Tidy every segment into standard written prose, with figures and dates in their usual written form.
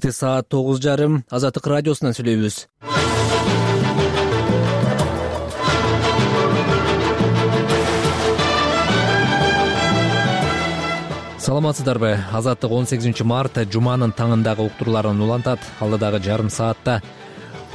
Саат 9:30 Азаттык радиосунан сүйлөйбүз. Саламатсыздарбы? Азаттык 18 март жуманын таңындагы уктурууларын улантат. Алдыдагы жарым саатта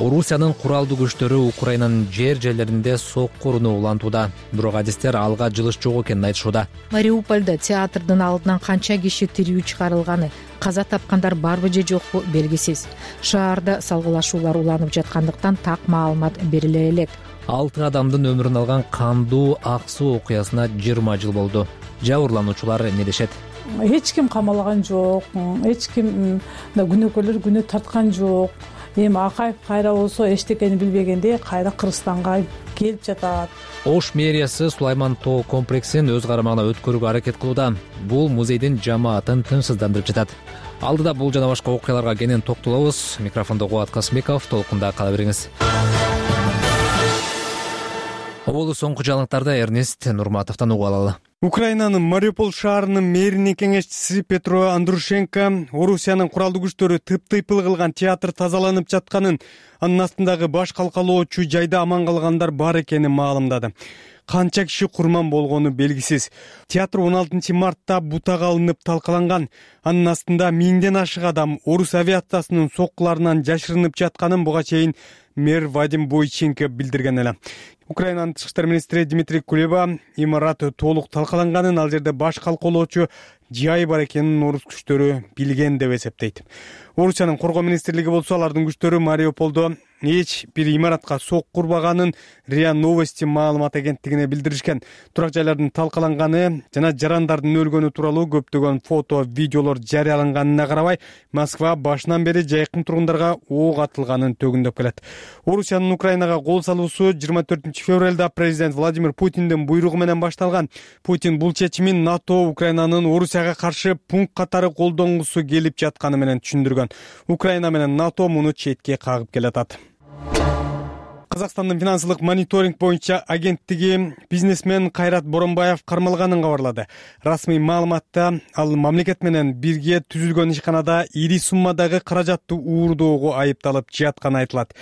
Орусиянын куралдуу күчтөрү Украинанын жерлеринде сокку уруну улантууда. Бирок адистер алга жылыш жок экенин айтышууда. Мариупольдо театрдын алдынан канча киши тирүү чыгарылганы, каза тапкандар барбы же жокпу белгисиз. Шаарда салгылашуулар уланып жаткандыктан так маалымат бериле элек. 6 адамдын өмүрүн алган кандуу ак суу окуясына 20 жыл болду. Жабырлануучулар эмне дешет? Эч ким камалган жок, эч ким күнөөкөрлөр күнөө тарткан жок. Эми Акаев кайра болсо эчтекени билбегендей кайра Кыргызстанга келип жатат. Ош мэриясы Сулайман тоо комплексин өз карамагына өткөрүүгө аракет кылууда. Бул музейдин жамаатын тынчсыздандырып жатат. Алдыда бул жана башка окуяларга кенен токтолобуз. Микрофондо Кубат Касмиков, толкунда кала бериңиз. Оболу соңку жаңылыктарды Эрнест Нурматовдон угуп алалы. Украинанын Мариуполь шаарынын мэринин кеңешчиси Петро Андрушенко Орусиянын куралдуу күчтөрү тыптыйпыл кылган театр тазаланып жатканын, анын астындагы баш калкалоочу жайда аман калгандар бар экенин маалымдады. Канча киши курман болгону белгисиз. Театр 16 мартта бутага алынып талкаланган. Анын астында 1000ден ашык адам орус авиациясынын соккуларынан жашырынып жатканын буга чейин мэр Вадим Бойченко билдирген эле. Украинанын тышкы иштер министри Дмитрий Кулеба имарат толук талкаланганын, ал жерде баш калкалоочу жай бар экенин орус күчтөрү билген деп эсептейт. Орусиянын коргоо министрлиги болсо алардын күчтөрү Мариуполдо эч бир имаратка сокку урбаганын РИА Новости маалымат агенттигине билдиришкен. Турак жайлардын талкаланганы жана жарандардын өлгөнү тууралуу көптөгөн фото, видеолор жарыяланганына карабай, Москва башынан бери жайкын тургундарга ок атылганын төгүндөп келет. Орусиянын Украинага кол салуусу 24 февралда президент Владимир Путиндин буйругу менен башталган. Путин бул чечимин НАТО Украинанын Орусияга каршы пункт катары колдонгусу келип жатканы менен түшүндүргөн. Украина менен НАТО муну четке кагып келатат. Казакстандын финансылык мониторинг боюнча агенттиги бизнесмен Кайрат Боронбаев кармалганын кабарлады. Расмий маалыматта ал мамлекет менен бирге түзүлгөн ишканада ири суммадагы каражатты уурдоого айыпталып жатканы айтылат.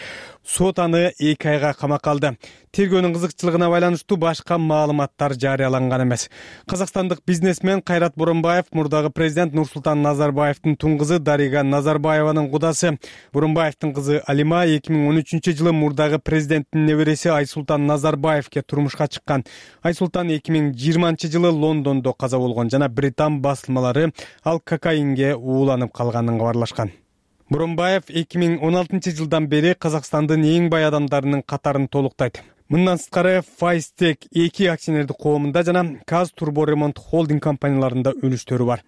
Сот аны 2 айга камакка алды. Тергөөнүн кызыкчылыгына байланыштуу башка маалыматтар жарыяланган эмес. Казакстандык бизнесмен Кайрат Боронбаев мурдагы президент Нурсултан Назарбаевдин тун кызы Дарига Назарбаеванын кудасы. Боронбаевдин кызы Алима 2013 жылы мурдагы президенттин небереси Айсултан Назарбаевке турмушка чыккан. Айсултан 2020 жылы Лондондо каза болгон жана британ басылмалары ал кокаинге ууланып калганын кабарлашкан. Боронбаев 2016 жылдан бери Казакстандын эң бай адамдарынын катарын толуктайт. Мындан сырткары Файстек 2 акционердик коомунда жана Казтурборемонт холдинг компанияларында үлүштөрү бар.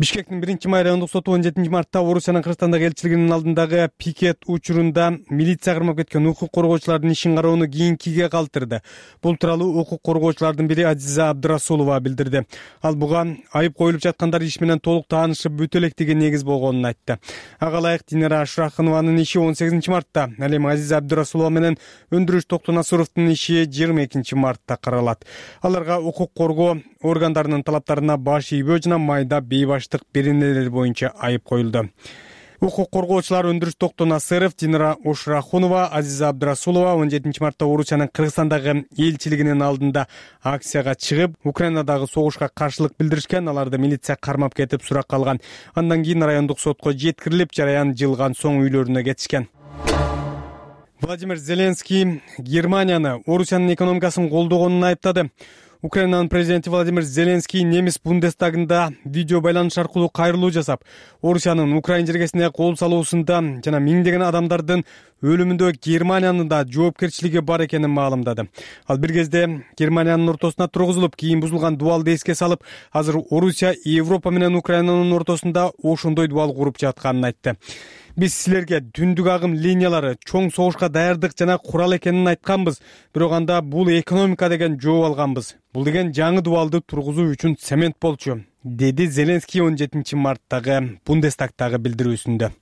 Бишкектин 1-май райондук соту 17 мартта Орусиянын Кыргызстандагы элчилигинин алдындагы пикет учурунда милиция кырмап кеткен укук коргоочулардын ишин кароону кийинкиге калтырды. Бул тууралуу укук коргоочулардын бири Азиза Абдырасулова билдирди. Ал буга айып коюлуп жаткандар иш менен толук таанышып бүтө электиги негиз болгонун айтты. Ага ылайык Динара Шурахынованын иши 18 мартта, ал эми Азиза Абдырасулова менен Өндүрүш Токтонасыровдун иши 22 мартта каралат. Аларга укук коргоо органдарынын талаптарына баш ийбөө жана майда бейбаштык беренелер боюнча айып коюлду. Укук коргоочулар Өндүрүш Токтонасыров, Динара Ошрахунова, Азиза Абдырасулова 17 мартта Орусиянын Кыргызстандагы элчилигинин алдында акцияга чыгып, Украинадагы согушка каршылык билдиришкен. Аларды милиция кармап кетип суракка алган. Андан кийин райондук сотко жеткирилип, жараян жылган соң үйлөрүнө кетишкен. Владимир Зеленский Германияны Орусиянын экономикасын колдогонун айыптады. Украинанын президенти Владимир Зеленский немис Бундестагында видео байланыш аркылуу кайрылуу жасап, Орусиянын Украин жергесине кол салуусунда жана миңдеген адамдардын өлүмүндө Германиянын да жоопкерчилиги бар экенин маалымдады. Ал бир кезде Германиянын ортосуна тургузулуп, кийин бузулган дубалды эске салып, азыр Орусия Европа менен Украинанын ортосунда ошондой дубал куруп жатканын айтты. Биз силерге түндүк агым линиялары, чоң согушка даярдык жана курал экенин айтканбыз, бирок анда бул экономика деген жооп алганбыз. Бул деген жаңы дубалды тургузуу үчүн цемент болчу, деди Зеленский 17 марттагы Бундестагтагы билдирүүсүндө.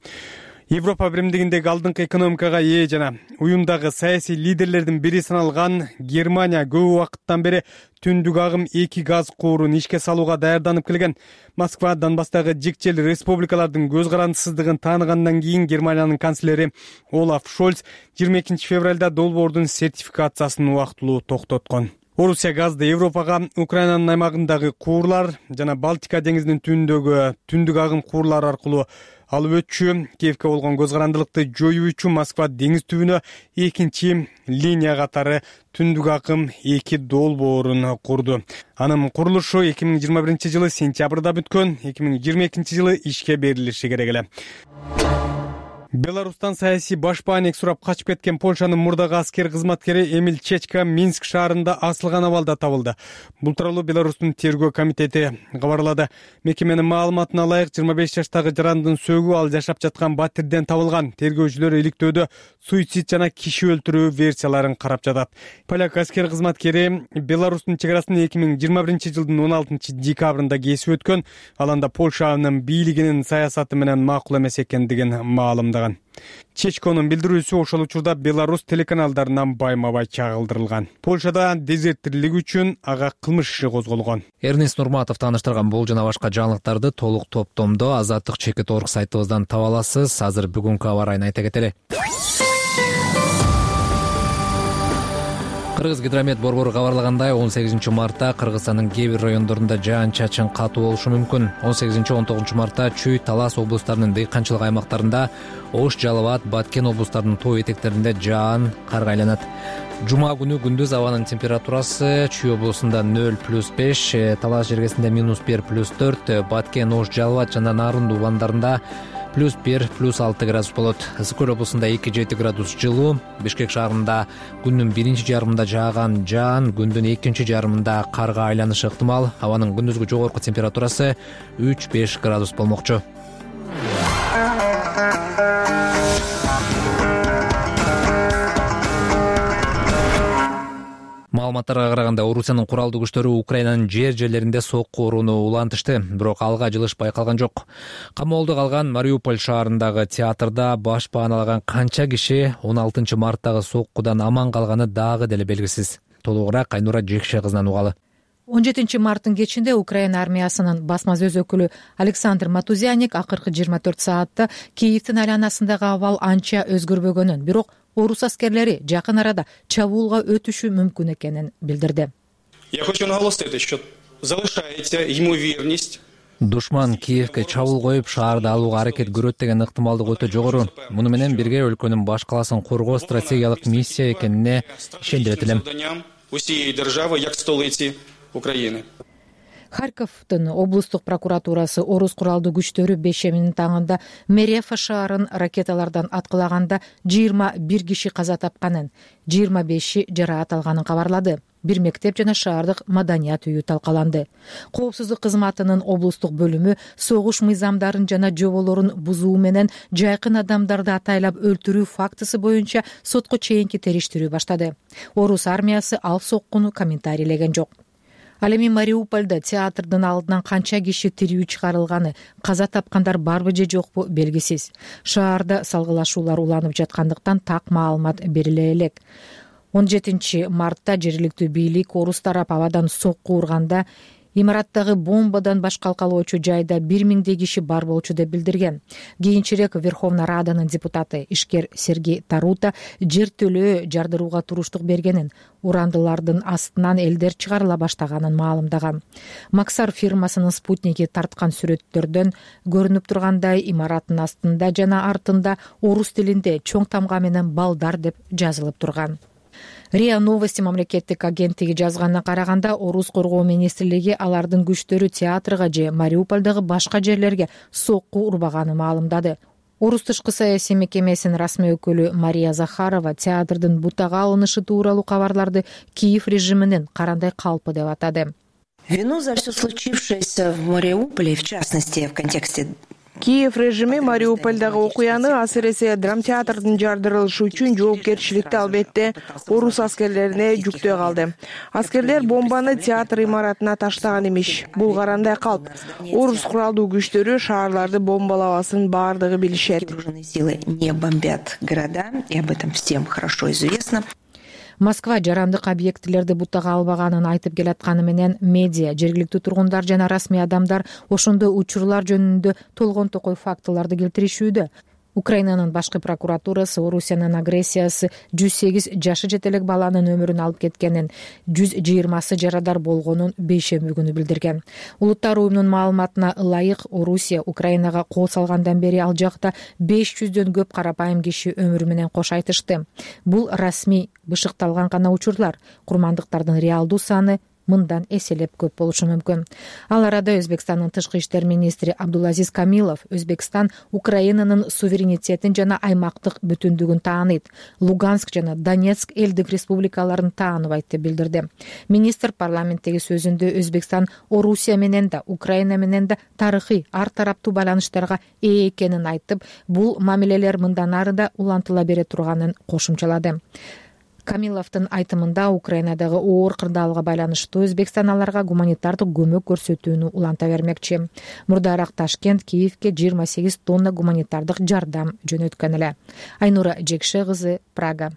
Европа биримдигиндеги алдыңкы экономикага ээ жана уюмдагы саясий лидерлердин бири саналган Германия көп убакыттан бери түндүк агым 2 газ куурун ишке салууга даярданып келген. Москва Донбасстагы жикчел республикалардын көз карандысыздыгын тааныгандан кийин Германиянын канцлери Олаф Шольц 22 февралда долбоордун сертификациясын убактылуу токтоткон. Орусия газды Европага Украинанын аймагындагы куурлар жана Балтика деңизинин түбүндөгү түндүк агым куурлар аркылуу алып өтчү. Киевке болгон көз карандылыкты жоюу үчүн Москва деңиз түбүнө экинчи линия катары түндүк агым 2 долбоорун курду. Анын курулушу 2021-жылы сентябрда бүткөн, 2022-жылы ишке берилиши керек эле. Беларустан саясий башпаанек сурап качып кеткен Польшанын мурдагы аскер кызматкери Эмиль Чечка Минск шаарында асылган абалда табылды. Бул тууралуу Беларустун тергөө комитети кабарлады. Мекеменин маалыматына ылайык 25 жаштагы жарандын сөөгү ал жашап жаткан батирден табылган. Тергөөчүлөр иликтөөдө суицид жана киши өлтүрүү версияларын карап жатат. Поляк аскер кызматкери Беларустун чек арасын 2021-жылдын 16 декабрында кесип өткөн. Ал анда Польшанын бийлигинин саясаты менен макул эмес экендигин маалымдаган. Чечконун билдирүүсү ошол учурда Беларусь телеканалдарынан байма-бай чагылдырылган. Польшада дезертирлик үчүн ага кылмыш иши козголгон. Эрнест Нурматов тааныштырган бул жана башка жаңылыктарды толук топтомдо Азаттык Чекит.org сайтыбыздан таба аласыз. Азыр бүгүнкү аба ырайын айта кетели. Кыргыз гидромет борбору кабарлагандай 18 мартта Кыргызстандын кээ бир райондорунда жаан-чачын катуу болушу мүмкүн. 18-19 мартта Чүй, Талас облустарынын дыйканчылык аймактарында, Ош, Жалал Абад, Баткен облустарынын тоо этектеринде жаан карга айланат. Жума күнү күндүз абанын температурасы Чүй облусунда 0+5, Талас жергесинде -1, +4, Баткен, Ош, Жалал Абад жана Нарын дубандарында +1, +6 градус болот. Ысык көл облусунда 2-7 градус жылуу. Бишкек шаарында күндүн биринчи жарымында жааган жаан күндүн экинчи жарымында карга айланышы ыктымал. Абанын күндүзгү жогорку температурасы 3-5 градус болмокчу. Маалыматтарга караганда Орусиянын куралдуу күчтөрү Украинанын жер-жерлеринде сокку урууну улантышты, бирок алга жылыш байкалган жок. Камоолдо калган Мариуполь шаарындагы театрда баш пааналаган канча киши 16 марттагы соккудан аман калганы дагы деле белгисиз. Толугураак Айнура Жекше кызынан угалы. 17 марттын кечинде Украина армиясынын басма сөз өкүлү Александр Матузяник акыркы 24 саатта Киевдин айланасындагы абал анча өзгөрбөгөнүн, бирок орус аскерлери жакын арада чабуулга өтүшү мүмкүн экенин билдирди. Я хочу наголосить, что залишаете ему верность. Душман Киевке чабуул коюп шаарды алууга аракет көрөт деген ыктымалдык өтө жогору. Муну менен бирге өлкөнүн баш каласын коргоо стратегиялык миссия экенине ишендирет элем. Усієї держави, як столиці України. Харьковдун облустук прокуратурасы орус куралдуу күчтөрү бейшеминин таңында Мерефа шаарын ракеталардан аткылаганда 21 киши каза тапканын, 25 жараат алганын кабарлады. Бир мектеп жана шаардык маданият үйү талкаланды. Коопсуздук кызматынын облустук бөлүмү согуш мыйзамдарын жана жоболорун бузуу менен жайкын адамдарды атайлап өлтүрүү фактысы боюнча сотко чейинки териштирүү баштады. Орус армиясы ал соккуну комментарийлеген жок. Ал эми Мариупольдо театрдын алдынан канча киши тирүү чыгарылганы, каза тапкандар барбы же жокпу белгисиз. Шаарда салгылашуулар уланып жаткандыктан так маалымат бериле элек. 17 мартта жергиликтүү бийлик орус тарап абадан сокку урганда имараттагы бомбадан баш калкалоочу жайда 1000 киши бар болчу деп билдирген. Кийинчерээк Верховная Раданын депутаты ишкер Сергей Тарута жертөлөө жардырууга туруштук бергенин, урандылардын астынан элдер чыгарыла баштаганын маалымдаган. Максар фирмасынын спутники тарткан сүрөттөрдөн көрүнүп тургандай имараттын астында жана артында орус тилинде чоң тамга менен балдар деп жазылып турган. РИА Новости мамлекеттик агенттиги жазганына караганда, орус коргоо министрлиги алардын күчтөрү театрга же Мариупольдогу башка жерлерге сокку урбаганы маалымдады. Орус тышкы саясий мекемесинин расмий өкүлү Мария Захарова театрдын бутага алынышы тууралуу кабарларды Киев режиминин карандай калпы деп атады. Вину за все случившееся в Мариуполе, в частности, в контексте Киев режими Мариупольдагы окуяны, асыресе драмтеатрдын жардырылышы үчүн жоопкерчиликти албетте орус аскерлерине жүктөй калды. Аскерлер бомбаны театр имаратына таштаган эмиш. Бул карандай калп. Орус куралдуу күчтөрү шаарларды бомбалабасын баардыгы билишет. Силы не бомбят города, и об этом всем хорошо известно. Москва жарандык объектилерди бутага албаганын айтып келатканы менен медиа, жергиликтүү тургундар жана расмий адамдар ошондой учурлар жөнүндө толгон токой фактыларды келтиришүүдө. Украинанын башкы прокуратурасы Орусиянын агрессиясы 108 жашы жете элек баланын өмүрүн алып кеткенин, 120 жарадар болгонун бейшемби күнү билдирген. Улуттар уюмунун маалыматына ылайык, Орусия Украинага кол салгандан бери ал жакта 500дөн көп карапайым киши өмүрү менен кош айтышты. Бул расмий бышыкталган гана учурлар. Курмандыктардын реалдуу саны мындан эселеп көп болушу мүмкүн. Ал арада Өзбекстандын тышкы иштер министри Абдулазиз Камилов Өзбекстан Украинанын суверенитетин жана аймактык бүтүндүгүн тааныйт. Луганск жана Донецк элдик республикаларын тааныбайт деп билдирди. Министр парламенттеги сөзүндө Өзбекстан Орусия менен да, Украина менен да тарыхый ар тараптуу байланыштарга ээ экенин айтып, бул мамилелер мындан ары да улантыла бере турганын кошумчалады. Камиловдун айтымында Украинадагы оор кырдаалга байланыштуу Өзбекстан аларга гуманитардык көмөк көрсөтүүнү уланта бермекчи. Мурдараак Ташкент Киевке 28 тонна гуманитардык жардам жөнөткөн эле. Айнура Жекше кызы, Прага.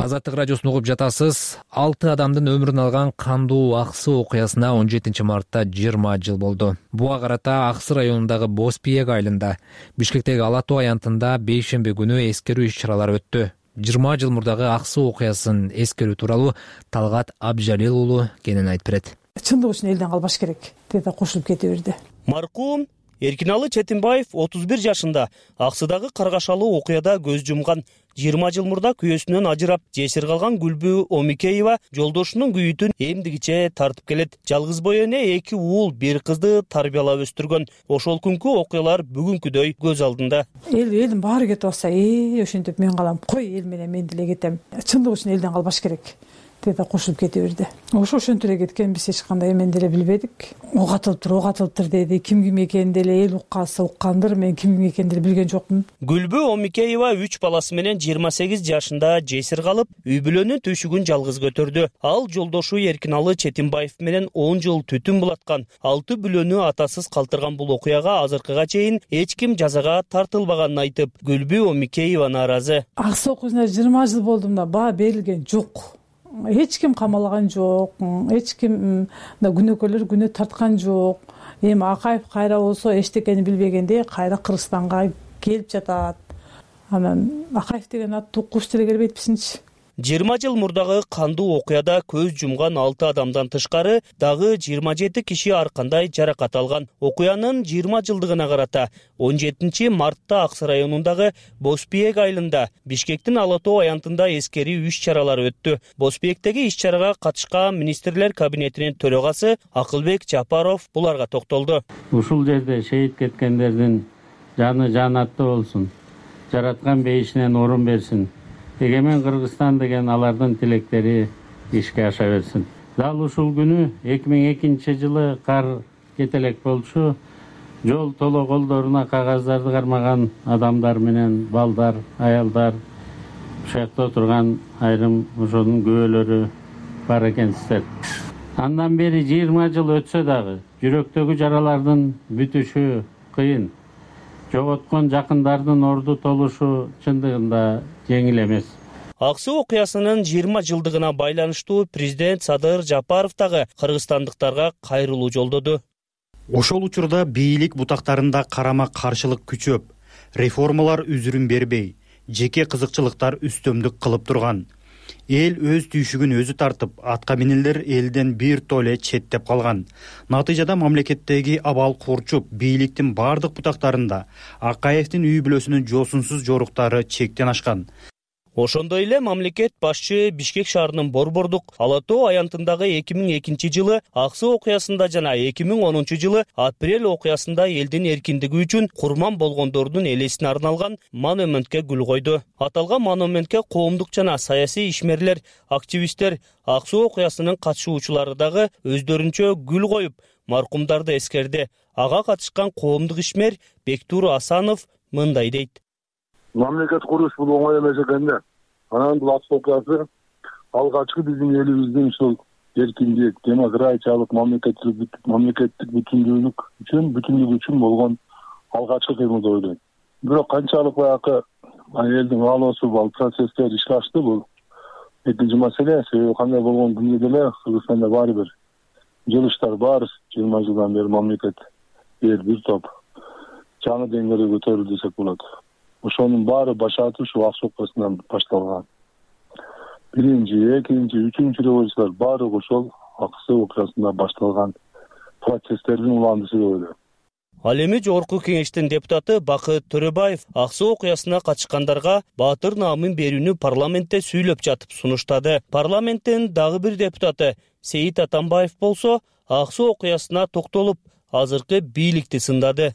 Азаттык радиосун угуп жатасыз. 6 адамдын өмүрүн алган кандуу Аксы окуясына 17 мартта 20 жыл болду. Буга карата Аксы районундагы Боспиек айылында, Бишкектеги Ала-Тоо аянтында бейшемби күнү эскерүү иш-чаралары өттү. 20 жыл мурдагы Аксы окуясын эскерүү тууралуу Талгат Абжалил уулу кенен айтып берет. Чындык үчүн элден калбаш керек деди, кошулуп кете берди. Маркум Эркиналы Четимбаев 31 жашында Аксыдагы каргашалуу окуяда көз жумган. 20 жыл мурда күйөөсүнөн ажырап, жесир калган Гүлбү Омикеева жолдошунун күйүтүн эмдигиче тартып келет. Жалгыз бой эне 2 уул, 1 кызды тарбиялап өстүргөн. Ошол күнкү окуялар бүгүнкүдөй көз алдында. Элдин баары кетип атса, ошентип мен калам, кой эл менен мен деле кетем. Чындык үчүн элден калбаш керек деди, кошулуп кете берди. Ошентип эле кеткен, биз эч кандай эмен деле билбедик. Ок атылыптыр деди. Ким экенин деле эл уккандыр, мен ким экенин деле билген жокмун. Гүлбү Омикеева 3 баласы менен 28 жашында жесир калып, үй бүлөнүн түйшүгүн жалгыз көтөрдү. Ал жолдошу Эркиналы Четимбаев менен 10 жыл түтүн булаткан. 6 бүлөнү атасыз калтырган бул окуяга азыркыга чейин эч ким жазага тартылбаганын айтып, Гүлбү Омикеева нааразы. Аксы окуясына 20 жыл болдум да, баа берилген жок. Эч ким камалган жок, эч ким да күнөөкөрлөр күнөө тарткан жок. Эми Акаев кайра болсо эчтекени билбегенде кайра Кыргызстанга келип жатат. Анан Акаев деген ат тукуш деле келбейтписинчи. 20 жыл мурдагы кандуу окуяда көз жумган 6 адамдан тышкары дагы 27 киши ар кандай жаракат алган. Окуянын 20 жылдыгына карата 17 мартта Аксы районундагы Боспиек айылында, Бишкектин Ала-Тоо аянтында эскерүү иш-чаралары өттү. Боспиектеги иш-чарага катышкан министрлер кабинетинин төрагасы Акылбек Жапаров буларга токтолду. Ушул жерде шейит кеткендердин жаны жанаттуу болсун. Жараткан бейишинен орун берсин. Эгемен Кыргызстан деген алардын тилектери ишке аша берсин. Дал ушул күнү 2002 жылы кар кетелек болчу. Жол толо колдоруна кагаздарды кармаган адамдар менен балдар, аялдар, ушакта отурган айрым ошонун күбөлөрү бар экенсиздер. Андан бери 20 жыл өтсө дагы жүрөктөгү жаралардын бүтүшү кыйын. Жоготкон жакындардын орду толушу чындыгында жеңил эмес. Аксы окуясынын 20 жылдыгына байланыштуу президент Садыр Жапаров дагы кыргызстандыктарга кайрылуу жолдоду. Ошол учурда бийлик бутактарында карама каршылык күчөп, реформалар үзүрүн бербей, жеке кызыкчылыктар үстөмдүк кылып турган. Эл өз түйшүгүн өзү тартып, атка минелер элден бир толе четтеп калган. Натыйжада мамлекеттеги абал курчуп, бийликтин бардык бутактарында Акаевдин үй бүлөсүнүн жосунсуз жоруктары чектен ашкан. Ошондой эле мамлекет башчы Бишкек шаарынын Борбордук Ала Тоо аянтындагы 2002 жылы Аксы окуясында жана 2010 жылы Апрель окуясында элдин эркиндиги үчүн курман болгондордун элесине арналган монументке гүл койду. Аталган монументке коомдук жана саясий ишмерлер, активисттер, Аксы окуясынын катышуучулары дагы өздөрүнчө гүл коюп, маркумдарды эскерди. Ага катышкан коомдук ишмер Бектур Асанов мындай дейт. Мамлекет куруш бул оңой эмес экен да. Анан бул Аксы окуясы алгачкы биздин элибиздин ушул эркиндик, демократиялык, мамлекеттик бүтүндүк үчүн болгон алгачкы кыймыл деп ойлойм. Бирок канчалык баягы элдин каалоосу бул процесстер ишке ашты, бул экинчи маселе. Себеби кандай болгон күндө деле Кыргызстанда баары бир жылыштар бар. 20 жылдан бери мамлекет бир топ жаңы деңгээлге көтөрүлдү десек болот. Ошонун баары башаты ушу Аксы окуясынан башталган. Биринчи, экинчи, үчүнчү революциялар баары ошол Аксы окуясында башталган процесстердин уландысы деп ойлойм. Ал эми Жогорку Кеңештин депутаты Бакыт Төрөбаев Аксы окуясына катышкандарга баатыр наамын берүүнү парламентте сүйлөп жатып сунуштады. Парламенттин дагы бир депутаты Сейит Атамбаев болсо Аксы окуясына токтолуп, азыркы бийликти сындады.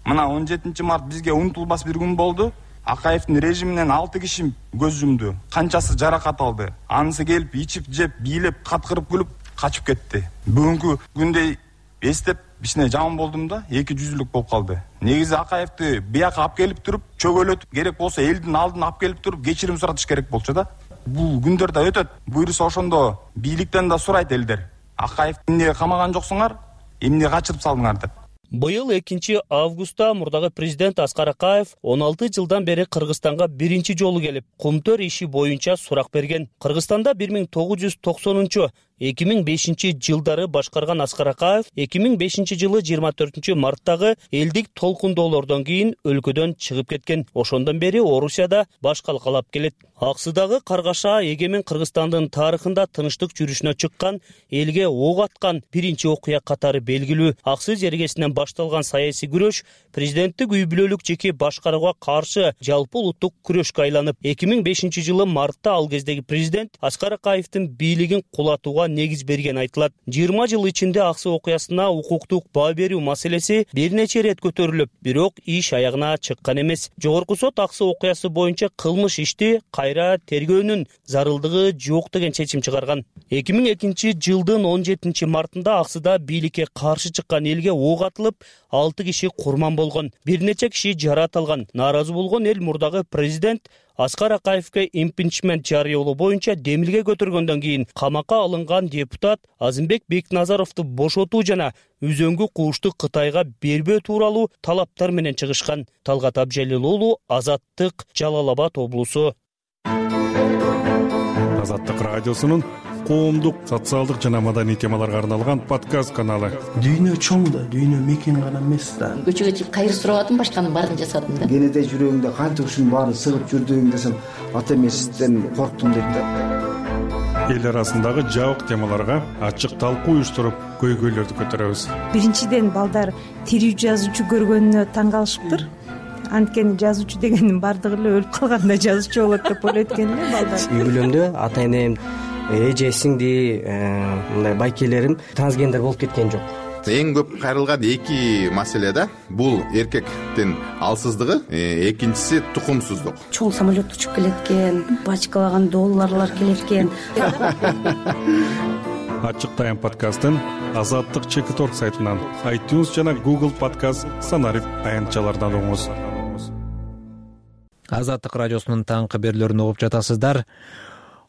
Мына 17 март бизге унутулбас бир күн болду. Акаевдин режиминен 6 киши көз жумду. Канчасы жаракат алды. Анысы келип, ичип, жеп, бийлеп, каткырып күлүп качып кетти. Бүгүнкү күндө эстеп, кичине жаман болдум да, 200-лүк болуп калды. Негизи Акаевди бияка алып келип туруп, чөгөлөтүп, керек болсо элдин алдына алып келип туруп, кечирим суратыш керек болчу да. Бул күндөр да өтөт. Буйруса ошондо бийликтен да сурайт элдер. Акаевди эмнеге камаган жоксуңар, эмне качырып салдыңар деп. Быйыл 2 августта мурдагы президент Аскар Акаев 16 жылдан бери Кыргызстанга биринчи жолу келип, кумтөр иши боюнча сурак берген. Кыргызстанда 1990-2005 жылдары башкарган Аскар Акаев 2005 жылы 24 марттагы элдик толкундоолордон кийин өлкөдөн чыгып кеткен. Ошондон бери Орусияда баш калкалап келет. Аксыдагы каргаша эгемен Кыргызстандын тарыхында тынчтык жүрүшүнө чыккан, элге ок аткан биринчи окуя катары белгилүү. Аксы жергесинен башталган саясий күрөш президенттик үй бүлөлүк жеке башкарууга каршы жалпы улуттук күрөшкө айланып, 2005 жылы мартта ал кездеги президент Аскар Акаевдин бийлигин кулатууга негиз берген айтылат. 20 жыл ичинде Аксы окуясына укуктук баа берүү маселеси бир нече ирет көтөрүлүп, бирок иш аягына чыккан эмес. Жогорку сот Аксы окуясы боюнча кылмыш ишти кайра тергөөнүн зарылдыгы жок деген чечим чыгарган. 2002 жылдын 17 мартында Аксыда бийликке каршы чыккан элге ок атылып, 6 киши курман болгон, бир нече киши жаратылган. Нааразы болгон эл мурдагы президент Аскар Акаевге импичмент жарыялоо боюнча демилге көтөргөндөн кийин камакка алынган депутат Азымбек Бекназаровду бошотуу жана үзөңгү куушту Кытайга бербөө тууралуу талаптар менен чыгышкан. Талгат Абжалил уулу, Азаттык, Жалал Абад облусу. Азаттык радиосунун коомдук, социалдык жана маданий темаларга арналган подкаст каналы. Дүйнө чоң да, дүйнө мекен гана эмес да. Көчөгө чыгып кайыр сурабадым, башканын баарын жасадым да. Кенеде жүрөгүңдө канча ушунун баарын сыгып жүрдүң десем, ата эмесизден корктум дейт да. Эл арасындагы жабык темаларга ачык талкуу уюштуруп, көйгөйлөрдү көтөрөбүз. Биринчиден балдар тирүү жазуучу көргөнүнө таң калышыптыр. Анткени жазуучу дегендин бардыгы эле өлүп калганда жазуучу болот деп ойлойт экен эле балдар. Үй бүлөмдө ата энем, эже, сиңди, мындай байкелерим трансгендер болуп кеткен жок. Эң көп кайрылган эки маселе да. Бул эркектин алсыздыгы, экинчиси тукумсуздук. Чоң самолет учуп келет экен, бачкалаган долларлар келет экен. Ачык тайм подкастын Азаттык Чекиторг сайтынан, iTunes жана Google Podcast санарип аянтчалардан угуңуз. Азаттык радиосунун таңкы берүүлөрүн угуп жатасыздар.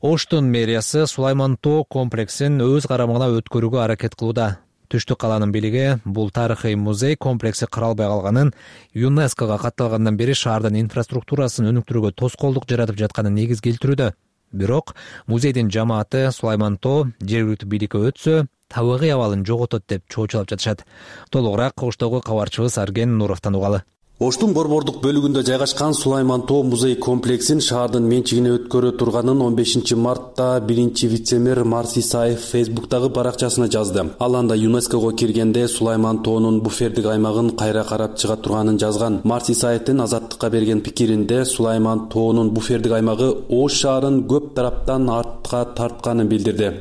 Оштун мэриясы Сулайман Тоо комплексин өз карамагына өткөрүүгө аракет кылууда. Түштүк каланын бийлиги бул тарыхый музей комплекси каралбай калганын, ЮНЕСКОга катталгандан бери шаардын инфраструктурасын өнүктүрүүгө тоскоолдук жаратып жатканын негиз келтирүүдө. Бирок музейдин жамааты Сулайман Тоо жергиликтүү бийликке өтсө, табигый абалын жоготот деп чоочулап жатышат. Толугураак Оштогу кабарчыбыз Арген Нуровдон угалы. Оштун борбордук бөлүгүндө жайгашкан Сулайман Тоо музей комплексин шаардын менчигине өткөрө турганын 15 мартта биринчи вице-мэр Марс Исаев Фейсбуктагы баракчасына жазды. Ал анда ЮНЕСКОго киргенде Сулайман Тоонун буфердик аймагын кайра карап чыга турганын жазган. Марс Исаевдин Азаттыкка берген пикиринде Сулайман Тоонун буфердик аймагы Ош шаарын көп тараптан артка тартканын билдирди.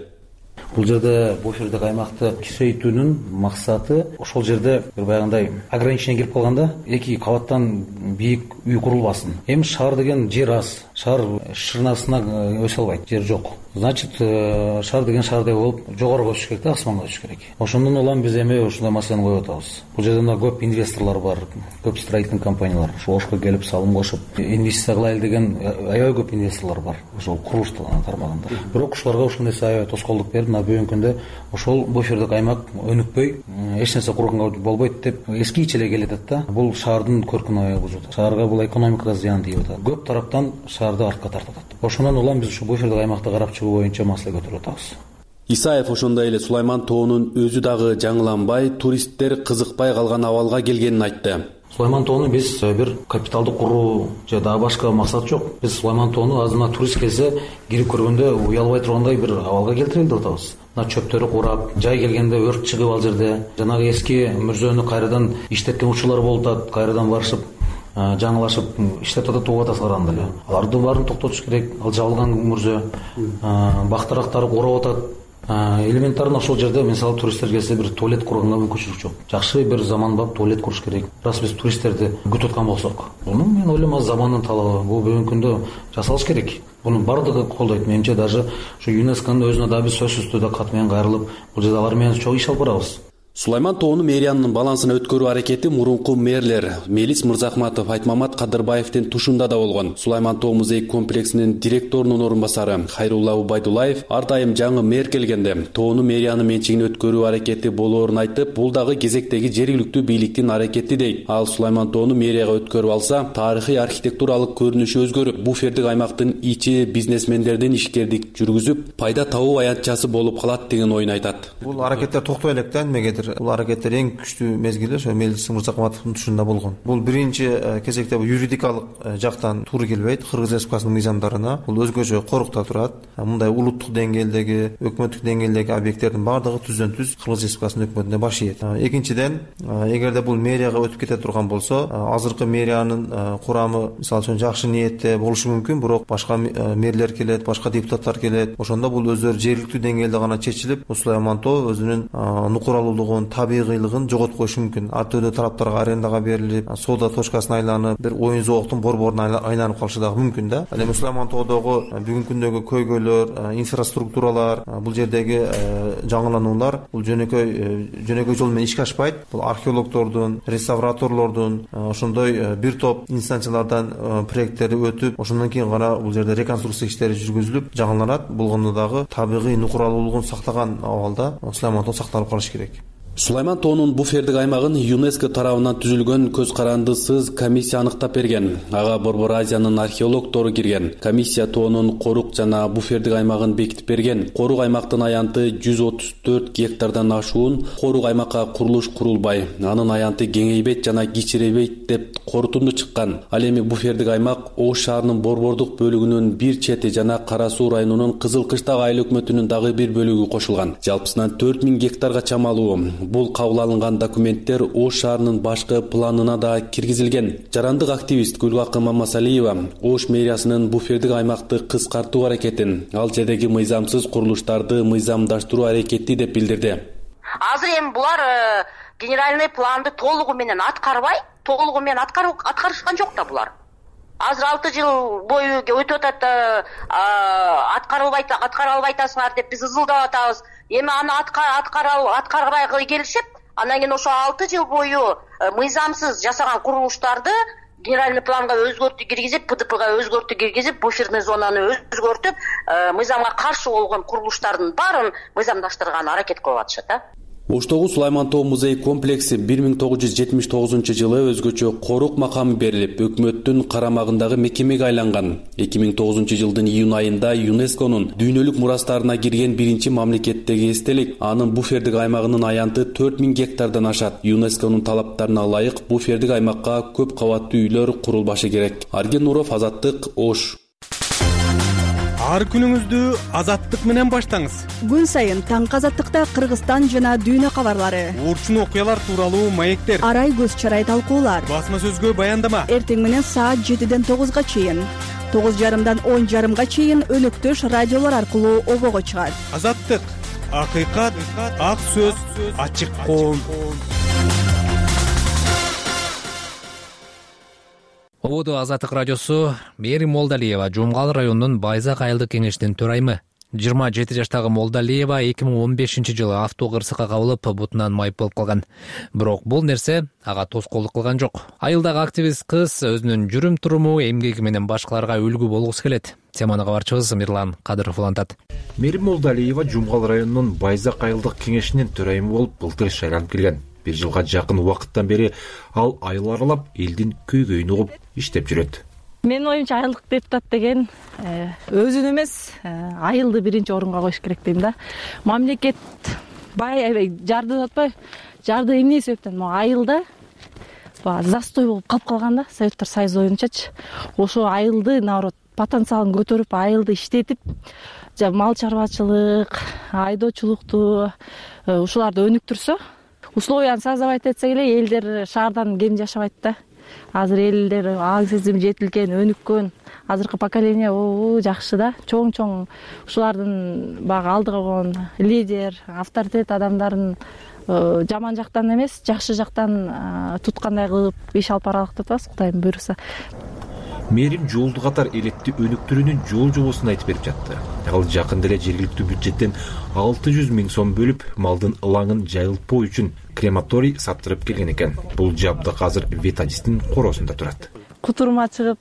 Бул жерде буфердик аймакты кичейтүүнүн максаты ошол жерде бир баягындай ограничение кирип калганда 2 кабаттан бийик үй курулбасын. Эми шаар деген жер аз. Шаар шырнасына өсө албайт, жер жок. Значит, шаар деген шаардай болуп жогору өсүш керек да, асманга өсүш керек. Ошондон улам биз эми ушундай маселени коюп атабыз. Бул жерде көп инвесторлор бар, көп строительный компаниялар. Ошо Ошко келип салым кошуп, инвестиция кылайлы деген аябай көп инвесторлор бар. Ошол курулуш тармагында. Бирок ушуларга ушул нерсе аябай тоскоолдук берип, бүгүнкү күндө ошол буфердик аймак өнүкпөй, эч нерсе курганга болбойт деп эскиче эле келатат да. Бул шаардын көркүн аябай бузуп атат. Шаарга бул экономикага зыян тийип атат. Көп тараптан шаарды артка тартып атат. Ошондон улам биз ушу буфердик аймакты карап чыгуу боюнча маселе көтөрүп атабыз. Исаев ошондой эле Сулайман Тоонун өзү дагы жаңыланбай, туристтер кызыкпай калган абалга келгенин айтты. Сулайман Тоону биз бир капиталды куруу же дагы башка максат жок. Биз Сулайман Тоону азына турист келсе кирип көргөндө уялбай тургандай бир абалга келтирели деп атабыз. Мына чөптөрү курап, жай келгенде өрт чыгып ал жерде, жанагы эски мүрзөнү кайрадан иштеткен учурлар болуп атат, кайрадан барышып жаңылашып иштеп атат атасылардан эле. Аларды баарын токтотуш керек. Ал жабылган мүрзө, бактарактары курап атат. Элементарно ошол жерде мисалы туристтер келсе бир туалет курганга мүмкүнчүлүк жок. Жакшы бир заманбап туалет куруш керек. Раз биз туристтерди күтүп аткан болсок, муну мен ойлойм замандын талабы. Бул бүгүнкү күндө жасалыш керек. Бунун бардыгы колдойт. Менимче даже ушу ЮНЕСКОнун өзүнө да биз сөзсүз түрдө кат менен кайрылып, бул жерде алар менен чоң иш алып барабыз. Сулайман Тоону мэриянын балансына өткөрүү аракети мурунку мэрлер Мелис Мырзахматов, Айтмамат Кадырбаевдин тушунда да болгон. Сулайман Тоо музей комплексинин директорунун орун басары Хайрулла Убайдуллаев ар дайым жаңы мэр келгенде Тоону мэриянын менчигине өткөрүү аракети болоорун айтып, бул дагы кезектеги жергиликтүү бийликтин аракети дейт. Ал Сулайман Тоону мэрияга өткөрүп алса, тарыхый архитектуралык көрүнүшү өзгөрүп, буфердик аймактын ичи бизнесмендердин ишкердик жүргүзүп, пайда табуу аянтчасы болуп калат деген ойун айтат. Бул аракеттер токтой элек да, эмнегедир бул аракеттер эң күчтүү мезгили ошо Мелис Мырзахматовдун тушунда болгон. Бул биринчи кезекте юридикалык жактан туура келбейт. Кыргыз Республикасынын мыйзамдарына бул өзгөчө корукта турат. Мындай улуттук деңгээлдеги, өкмөттүк деңгээлдеги объекттердин бардыгы түздөн түз Кыргыз Республикасынын өкмөтүнө баш ийет. Экинчиден, эгерде бул мэрияга өтүп кете турган болсо, азыркы мэриянын курамы мисалы үчүн жакшы ниетте болушу мүмкүн, бирок башка мэрлер келет, башка депутаттар келет. Ошондо бул өздөрү жергиликтүү деңгээлде гана чечилип, Сулайман Тоо өзүнүн нукуралуулугун, табигыйлыгын жоготуп коюшу мүмкүн. Ар түрдүү тараптарга арендага берилип, соода точкасына айланып, бир оюн зооктун борборуна айланып калышы дагы мүмкүн да. Ал эми Сулайман Тоодогу бүгүнкү күндөгү көйгөйлөр, инфраструктуралар, бул жердеги жаңылануулар бул жөнөкөй жол менен ишке ашпайт. Бул археологдордун, реставраторлордун, ошондой бир топ инстанциялардан проекттери өтүп, ошондон кийин гана бул жерде реконструкция иштери жүргүзүлүп жаңыланат. Болгондо дагы табигый нукуралуулугун сактаган абалда Сулайман Тоо сакталып калыш керек. Сулайман Тоонун буфердик аймагын ЮНЕСКО тарабынан түзүлгөн көз карандысыз комиссия аныктап берген. Ага Борбор Азиянын археологдору кирген. Комиссия Тоонун корук жана буфердик аймагын бекитип берген. Корук аймактын аянты 134 гектардан ашуун, корук аймакка курулуш курулбай, анын аянты кеңейбейт жана кичиребейт деп корутунду чыккан. Ал эми буфердик аймак Ош шаарынын борбордук бөлүгүнүн бир чети жана Кара Суу районунун Кызыл Кыштак айыл өкмөтүнүн дагы бир бөлүгү кошулган. Жалпысынан 4000 гектарга чамалуу. Бул кабыл алынган документтер Ош шаарынын башкы планына да киргизилген. Жарандык активист Гүлгакы Мамасалиева Ош мэриясынын буфердик аймакты кыскартуу аракетин, ал жердеги мыйзамсыз курулуштарды мыйзамдаштыруу аракети деп билдирди. Азыр эми булар генеральный планды толугу менен аткарышкан жок да булар. Азыр 6 жыл бою өтүп атат, аткара албай атасыңар деп биз ызылдап атабыз. Эми аны аткарбай келишип, андан кийин ошо 6 жыл бою мыйзамсыз жасаган курулуштарды генеральный планга өзгөртүү киргизип, ПДПга өзгөртүү киргизип, буферный зонаны өзгөртүп, мыйзамга каршы болгон курулуштардын баарын мыйзамдаштырган аракет кылып атышат да. Оштогу Сулайман Тоо музей комплекси 1979 жылы өзгөчө корук макамы берилип, өкмөттүн карамагындагы мекемеге айланган. 2009 жылдын июнь айында ЮНЕСКОнун дүйнөлүк мурастарына кирген биринчи мамлекеттеги эстелик. Анын буфердик аймагынын аянты 4000 гектардан ашат. ЮНЕСКОнун талаптарына ылайык буфердик аймакка көп кабаттуу үйлөр курулбашы керек. Арген Нуров, Азаттык, Ош. Ар күнүңүздү Азаттык менен баштаңыз. Күн сайын таңкы Азаттыкта Кыргызстан жана дүйнө кабарлары, урчун окуялар тууралуу маектер, арай көз чарай талкуулар, басма сөзгө баяндама. Эртең менен саат 7ден 9га чейин, 9:30дан 10:30га чейин өнөктөш радиолор аркылуу обого чыгат. Азаттык, акыйкат, ак сөз, ачык коом. Ободо Азаттык радиосу. Мээрим Молдалиева Жумгал районунун Байзак айылдык кеңешинин төрайымы. 27 жаштагы Молдалиева 2015 жылы авто кырсыкка кабылып, бутунан майып болуп калган. Бирок бул нерсе ага тоскоолдук кылган жок. Айылдагы активист кыз өзүнүн жүрүм туруму, эмгеги менен башкаларга үлгү болгусу келет. Теманы кабарчыбыз Мирлан Кадыров улантат. Мээрим Молдалиева Жумгал районунун Байзак айылдык кеңешинин төрайымы болуп былтыр шайланып келген. 1 жылга жакын убакыттан бери ал айыл аралап элдин көйгөйүн угуп иштеп жүрөт. Менин оюмча айылдык депутат деген өзүн эмес, айылды биринчи орунга коюш керек дейм да. Мамлекет аябай жарды атпай, жарды эмне себептен могу айылда застой болуп калып калган да, Советтер Союзу боюнчачы. Ошо айылды наоборот потенциалын көтөрүп, айылды иштетип, мал чарбачылык, айдоочулукту ушуларды өнүктүрсө, условияны создавать этсе эле элдер шаардан кем жашабайт да. Азыр элдер аң сезими жетилген, өнүккөн, азыркы поколение жакшы да. Чоң ушулардын багы алдыга койгон лидер, авторитет адамдарын жаман жактан эмес, жакшы жактан туткандай кылып иш алып баралык деп атабыз, Кудайым буйруса. Мээрим жолду катар элетти өнүктүрүүнүн жол-жобосун айтып берип жатты. Ал жакында эле жергиликтүү бюджеттен 600 000 сом бөлүп, малдын ылаңын жайылтпоо үчүн крематорий саттырып келген экен. Бул жабдык азыр ветадистин коросунда турат. Кутурма чыгып,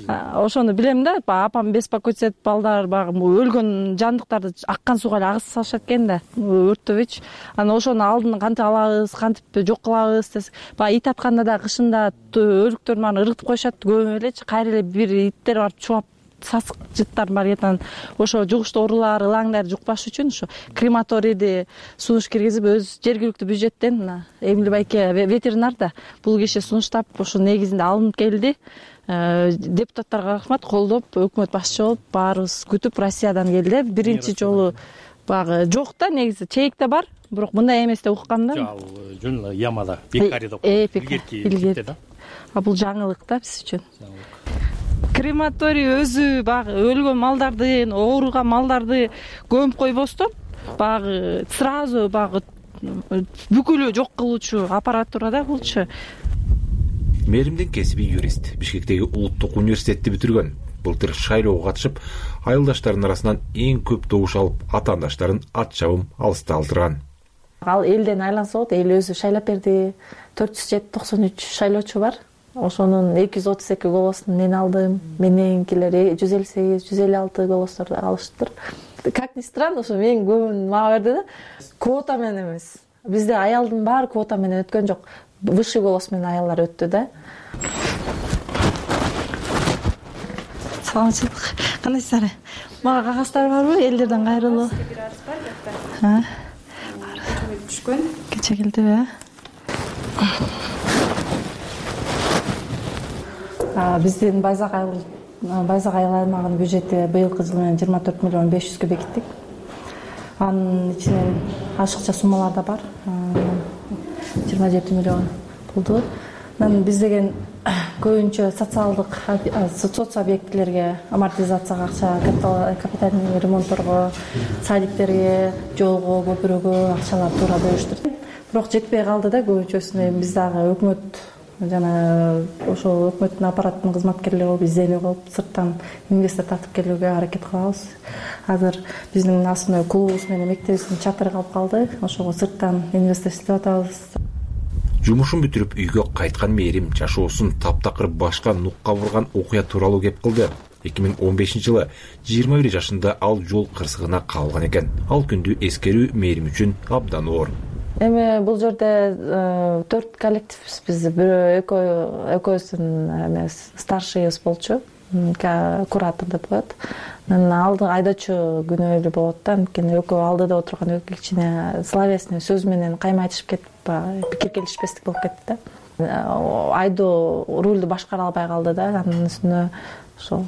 ошону билем да, апам беспокойтся этип балдар өлгөн жандыктарды аккан сууга эле агызып салышат экен да, өрттөбөйчү. Анан ошону алдын кантип алабыз, кантип жок кылабыз десек, ит атканда да кышында өлүктөрдү баарын ыргытып коюшат, көп элечи, кайра эле бир иттер барып чубап сасык жыттар бар этен, ошо жугуштуу оорулар, ылаңдар жукпаш үчүн ошо крематорийди сунуш киргизип, өз жергиликтүү бюджеттен Эмили байке ветеринар да бул киши сунуштап, ошо негизинде алынып келди. Депутаттарга рахмат, колдоп, өкмөт башчы болуп, баарыбыз күтүп Россиядан келди. Биринчи жолу багы жок да, негизи чейикте бар, бирок мындай эмес деп уккам да. Ал жөн ямада, пекарийде илгерки да. Бул жаңылык да биз үчүн. Крематорий өзү багы өлгөн малдарды, ооруган малдарды көмүп койбостон, багы сразу багы бүкүлү жок кылуучу аппаратура да булчу. Мээримдин кесиби юрист, Бишкектеги улуттук университетти бүтүргөн. Былтыр шайлоого катышып, айылдаштарынын арасынан эң көп добуш алып, атаандаштарын ат чабым алыста алдырган. Ал элден айланса болот, эл өзү шайлап берди. 493 шайлоочу бар. Ошонун 232 голосун мен алдым, мененкилер 158, 156 голосторду алыштыр. Как ни странно, ошо мен көбүн мага берди да. Квота менен эмес. Бизде аялдын баары квота менен өткөн жок. Высший голос менен аялдар өттү да. Саламатчылык. Кандайсыздар? Мага кагаздар барбы? Элдерден кайрылуу. Түшкөн. Кече келдиби? Биздин Байзак айыл аймагынын бюджети быйылкы жыл менен 24 миллион 500 бекиттик. Анын ичинен ашыкча суммалар да бар. 27 миллион болду. Биз деген көбүнчө соц объектилерге, амортизацияга акча, капитальный ремонтторго, садиктерге, жолго, көпүрөгө акчалар туура бөлүштүр. Бирок жетпей калды да, көбүнчөсүнө биз дагы өкмөт жана ошол өкмөттүн аппараттын кызматкерлери болуп изденүү кылып, сырттан инвестор тартып келүүгө аракет кылабыз. Азыр биздин асымда клубубуз менен мектебибиздин чатыры калып калды. Ошого сырттан инвестор издеп атабыз. Жумушун бүтүрүп үйгө кайткан Мээрим жашоосун таптакыр башка нукка бурган окуя тууралуу кеп кылды. 2015 жылы 21 жашында ал жол кырсыгына калган экен. Ал күндү эскерүү Мээрим үчүн абдан оор. Эми бул жерде 4 коллективбиз биз. Бирөө экөөбүздүн эмес старшийыбыз болчу. Куратор деп коет. Анан алды айдоочу күнөөлүү болот да. Анткени экөө алдыда отурган кичине словесный сөз менен кайма айтышып кетип, пикир келишпестик болуп кетти да. Айдоо рулду башкара албай калды да. Анын үстүнө ошол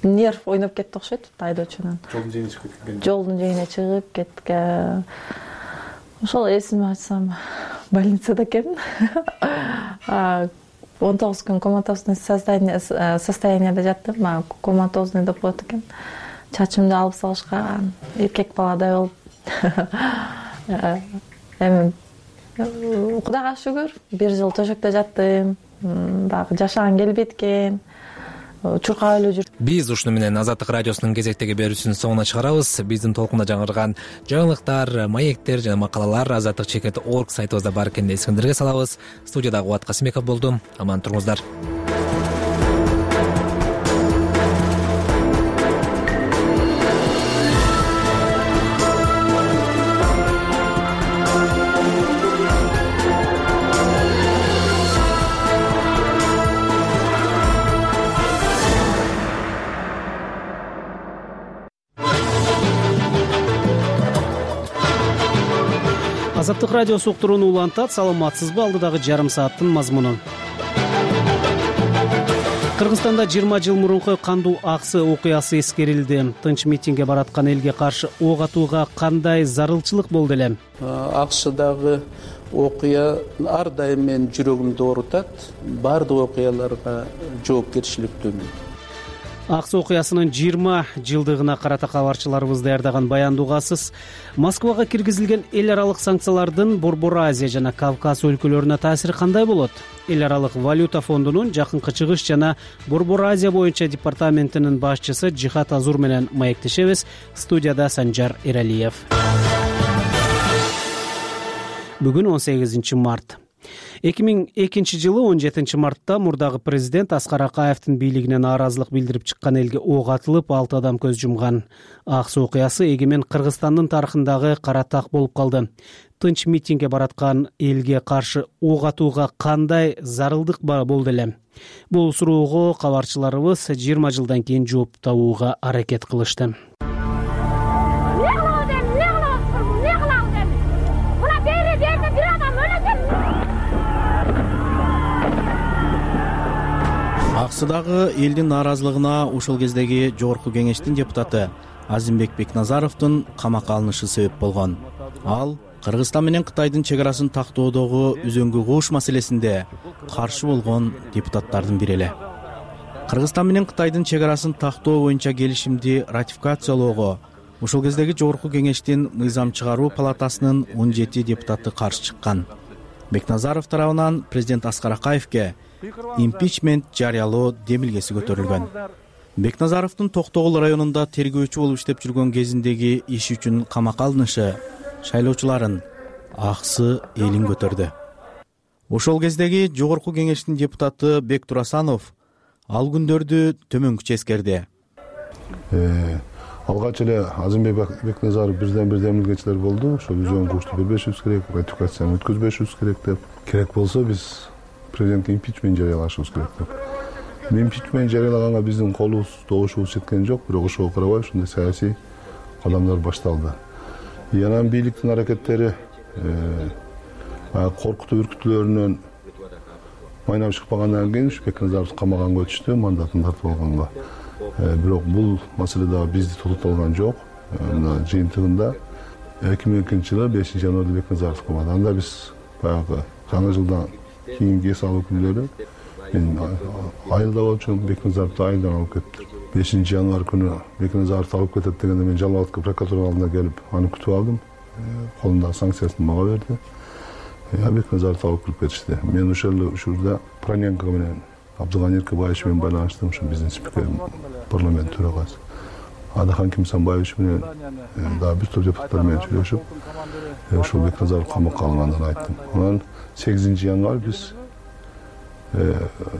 нерв ойноп кетти окшойт айдоочунун. Жолдун жээгине чыгып кеткен. Ошол эсиме айтсам, больницада экен. 19 күн коматозный состоянияда жаттым. Коматозный деп коет экен. Чачымды алып салышкан, эркек баладай болуп. Эми Кудайга шүгүр, 1 жыл төшөктө жаттым. Дагы жашаган келбейт экен. Чуркап эле жүрдүм. Биз ушуну менен Азаттык радиосунун кезектеги берүүсүнүн соңуна чыгарабыз. Биздин толкунда жаңырган жаңылыктар, маектер жана макалалар azattikcheket.org сайтыбызда бар экенин эсиңиздерге салабыз. Студияда Кубат Касымбеков болдум. Аман туруңуздар. Азаттык радиосу уктурууну улантат. Саламатсызбы? Алдыдагы жарым сааттын мазмунун. Кыргызстанда 20 жыл мурунку кандуу аксы окуясы эскерилди. Тынч митингге бараткан элге каршы ок атууга кандай зарылчылык болду эле? АКШдагы окуя ар дайым менин жүрөгүмдү оорутат. Бардык окуяларга жоопкерчиликтүүмүн. Аксы окуясынын 20 жылдыгына карата кабарчыларыбыз даярдаган баяндуугасыз Москвага киргизилген эл аралык санкциялардын Борбор Азия жана Кавказ өлкөлөрүнө таасири кандай болот? Эл аралык валюта фондунун жакынкы чыгыш жана Борбор Азия боюнча департаментинин башчысы Жихат Азур менен маектешебиз. Студияда Санжар Эралиев. Бүгүн 18 март. 2002 жылы 17 мартта мурдагы президент Аскар Акаевдин бийлигине нааразылык билдирип чыккан элге ок атылып 6 адам көз жумган. Аксы окуясы эгемен Кыргызстандын тарыхындагы кара так болуп калды. Тынч митингге бараткан элге каршы ок атууга кандай зарылдык болду эле? Бул суроого кабарчыларыбыз 20 жылдан кийин жооп табууга аракет кылышты. Аксыдагы элдин нааразылыгына ошол кездеги жогорку кеңештин депутаты Азимбек Бекназаровдун камакка алынышы себеп болгон. Ал Кыргызстан менен Кытайдын чек арасын тактоодогу үзөңгү коош маселесинде каршы болгон депутаттардын бири эле. Кыргызстан менен Кытайдын чек арасын тактоо боюнча келишимди ратификациялоого ошол кездеги жогорку кеңештин мыйзам чыгаруу палатасынын 17 депутаты каршы чыккан. Бекназаров тарабынан президент Аскар Акаевге импичмент жарыялоо демилгеси көтөрүлгөн. Бекназаровдун Токтогул районунда тергөөчү болуп иштеп жүргөн кезиндеги иши үчүн камакка алынышы шайлоочуларын аксы элин көтөрдү. Ошол кездеги жогорку кеңештин депутаты Бек Турасанов ал күндөрдү төмөнкүчө эскерди. Алгач эле Азимбек Бекназаров бирден бир демилгечилер болду. Ошол үзөң кошто бербешибиз керек, ратификацияны өткөзбөшүбүз керек деп. Керек болсо биз президентке импичмент жарыялашыбыз керек деп. Импичмент жарыялаганга биздин колубуз, добушубуз жеткен жок, бирок ошого карабай ушундай саясий кадамдар башталды. Анан бийликтин аракеттери коркутуу үркүтүүлөрүнөн майнап чыкпагандан кийин Бекназаров камаганга өтүштү, мандатын тартып алганга. Бирок бул маселе дагы бизди токтоткон жок. Мына жыйынтыгында 2002 жылы 5 январда Бекназаров камады. Анда биз баягы жаңы жылдан кийинки эс алуу күнүлөрү мен айылда болчумун, Бекназаровду айылдан алып кетти. 5 январ күнү Бекназаровду алып кетет дегенде мен Жалал-Абадка прокуратура алдына келип аны күтүп алдым. Колундагы санкциясын мага берди. Бекназаровду алып кирип кетишти. Мен ошол эле учурда Проненко менен Абдыган Эркебаевич менен байланыштым, ушу биздин спикер, парламент төрагасы. Адахан Кимсанбаевич менен дагы бир топ депутаттар менен сүйлөшүп, ошол Бекназаров камакка алынганын айттым. Анан 8 январь биз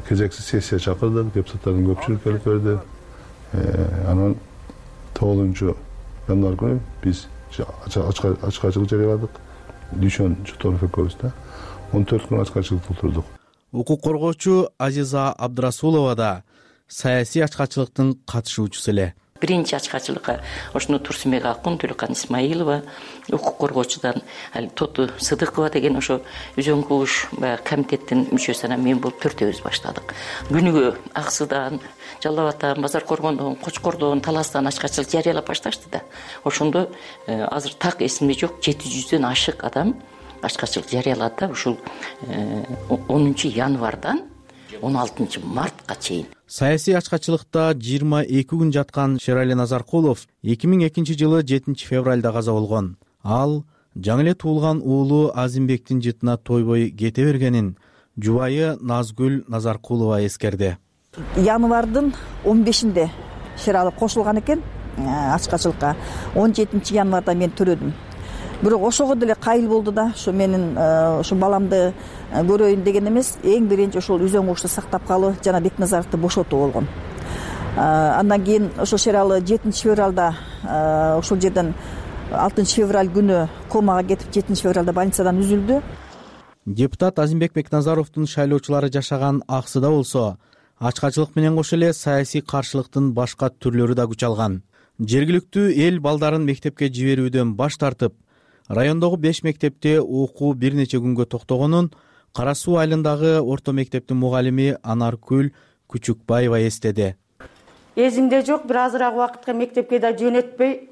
кезексиз сессия чакырдык, депутаттардын көпчүлүгү келип берди. Анан 9 январь күнү биз ачкачылык жарыяладык. Дүйшөн Чуторов экөөбүз да 14 күн ачкачылыкта отурдук. Укук коргоочу Азиза Абдрасулова да саясий ачкачылыктын катышуучусу эле. Биринчи ачкачылыкка ошону Турсунбек Акун, Төлөкан Исмаилова, укук коргоочудан Тоту Сыдыкова деген ошо Үзөң кууш комитеттин мүчөсү анан мен болуп төртөөбүз баштадык. Күнүгө Аксыдан, Жалал Абадтан, Базар Коргондон, Кочкордон, Таластан ачкачылык жарыялап башташты да. Ошондо азыр так эсимде жок, 700дөн ашык адам ачкачылык жарыялады да. Ушул 10 январдан 16 мартка чейин. Саясий ачкачылыкта 22 күн жаткан Шерали Назаркулов 2002 жылы 7 февралда каза болгон. Ал жаңы эле туулган уулу Азимбектин жытына тойбой кете бергенин жубайы Назгүл Назаркулова эскерди. Январдын 15-нде Шерали кошулган экен ачкачылыкка. 17 январда мен төрөдүм. Бирок ошого деле кайыл болду да, ошо менин ошо баламды көрөйүн деген эмес, эң биринчи ошол Үзөң кушту сактап калуу жана Бекназаровду бошотуу болгон. Андан кийин ошо Шералы 7 февралда ошол жерден 6 февраль күнү комага кетип 7 февралда больницадан үзүлдү. Депутат Азимбек Бекназаровдун шайлоочулары жашаган Аксыда болсо, ачкачылык менен кошо эле саясий каршылыктын башка түрлөрү да күч алган. Жергиликтүү эл балдарын мектепке жиберүүдөн баш тартып, райондогу 5 мектепте окуу бир нече күнгө токтогонун Кара Суу айылындагы орто мектептин мугалими Анаркүл Күчүкбаева эстеди. Эзимде жок, бир азыраак убакытка мектепке да жөнөтпөй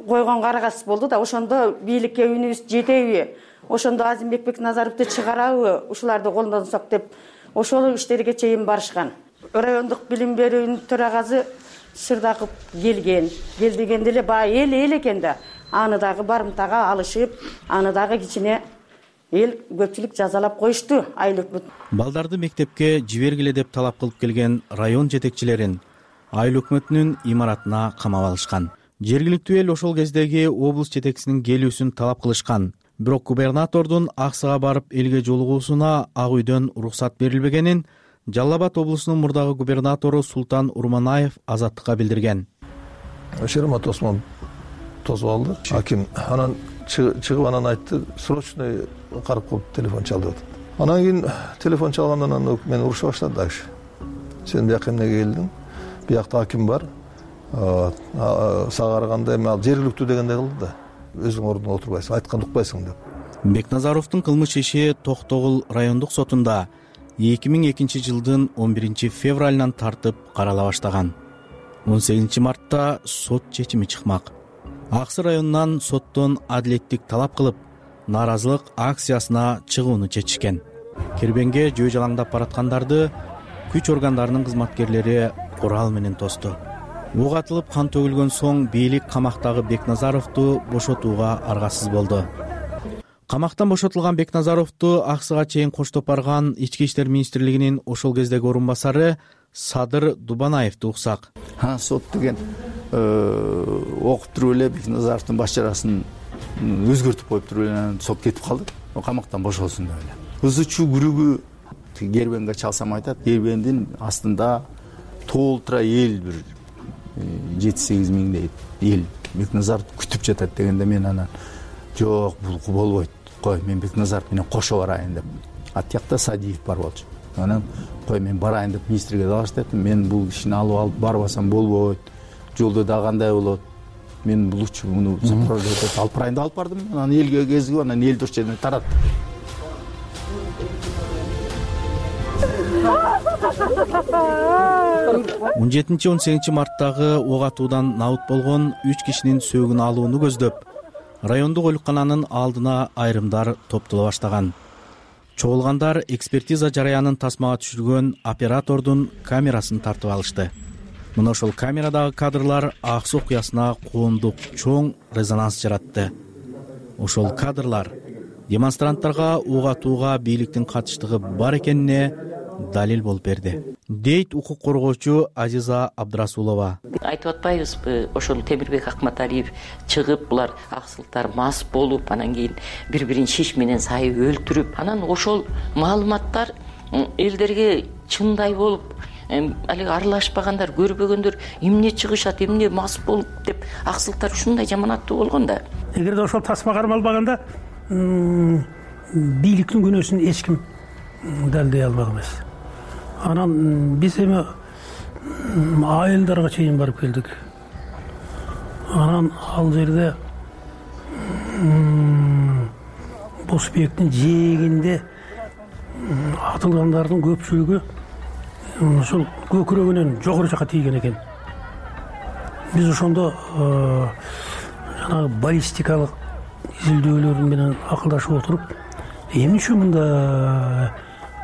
койгон карагас болду да, ошондо бийликке үнүбүз жетеби, ошондо Азимбек Бекназаровду чыгарабы, ушуларды колдонсок деп ошол иштерге чейин барышкан. Райондук билим берүүнүн төрагасы Сырдаков келген дегенде эле баягы эл экен да. Аны дагы барымтага алышып, аны дагы кичине эл көпчүлүк жазалап коюшту айыл өкмөт. Балдарды мектепке жибергиле деп талап кылып келген район жетекчилерин айыл өкмөтүнүн имаратына камап алышкан. Жергиликтүү эл ошол кездеги облус жетекчисинин келүүсүн талап кылышкан. Бирок губернатордун Аксыга барып элге жолугуусуна Ак үйдөн уруксат берилбегенин Жалал Абад облусунун мурдагы губернатору Султан Урманаев Азаттыкка билдирген. Шермат Осмон тосуп алды. Аким анан чыгып анан айтты, срочный карып коюп телефон чалды деп. Анан кийин телефон чалгандан анан мен уруша баштады дагы. Сен бияка эмнеге келдиң? Биякта аким бар. Сага караганда эми ал жергиликтүү дегенде кылды да. Өзүң ордуңда отурбайсың, айтканды укпайсың деп. Бекназаровдун кылмыш иши Токтогул райондук сотунда 2002 жылдын 11 февралынан тартып карала баштаган. 18 мартта сот чечими чыкмак. Аксы районунан соттон адилеттик талап кылып, нааразылык акциясына чыгууну чечишкен. Кербенге жөө жалаңдап бараткандарды күч органдарынын кызматкерлери курал менен тосту. Ок атылып кан төгүлгөн соң бийлик камактагы Бекназаровду бошотууга аргасыз болду. Камактан бошотулган Бекназаровду Аксыга чейин коштоп барган Ички иштер министрлигинин ошол кездеги орун басары Садыр Дубанаевди уксак. Сот деген окуп туруп эле Бекназаровдун баш жарасын өзгөртүп коюп туруп эле сот кетип калды. Камактан бошолсун деп эле. Ызычуу күрүгү кербенге чалсам айтат, кербендин астында толтура эл бир 7-8 миңдей эл Бекназаровду күтүп жатат дегенде мен анан жок, бул болбойт. Кой, мен Бекназаров менен кошо барайын деп. Атjakта Садиев бар болчу. Анан кой мен барайын деп министрге дагы айттым. Мен бул ишин алып барбасам болбойт. Жолдо да кандай болот? Мен булчу муну сопрождать алып барайын деп алып бардым. Анан элге кезип, анан эл дос жерден тарат. Он 17-18 марттагы ок атуудан набыт болгон 3 кишинин сөөгүн алууну көздөп, райондук оолукананын алдына айрымдар топтоло баштаган. Чогулгандар экспертиза жараянын тасмага түшүргөн оператордун камерасын тартып алышты. Мына ошол камерадагы кадрлар Аксы окуясына коомдук чоң резонанс жаратты. Ошол кадрлар демонстранттарга ок атууга бийликтин катыштыгы бар экенине далил болуп берди, дейт укук коргоочу Азиза Абдрасулова. Айтып атпайбызбы, ошол Темирбек Акматалиев чыгып, булар аксылыктар мас болуп, анан кийин бири-бирин шиш менен сайып өлтүрүп, анан ошол маалыматтар элдерге чындай болуп алиги аралашпагандар, көрбөгөндөр эмне чыгышат, эмне мас болуп деп аксылыктар ушундай жаманаттуу болгон да. Эгерде ошол тасма кармалбаганда бийликтин күнөөсүн эч ким далдей албак эмес. Анан биз эми айылдарга чейин барып келдик. Анан ал жерде Босбектин жээгинде атылгандардын көпчүлүгү ошол көкүрөгүнөн жогору жака тийген экен. Биз ошондо жанагы баллистикалык изилдөөлөр менен акылдашып отуруп, эмнече мында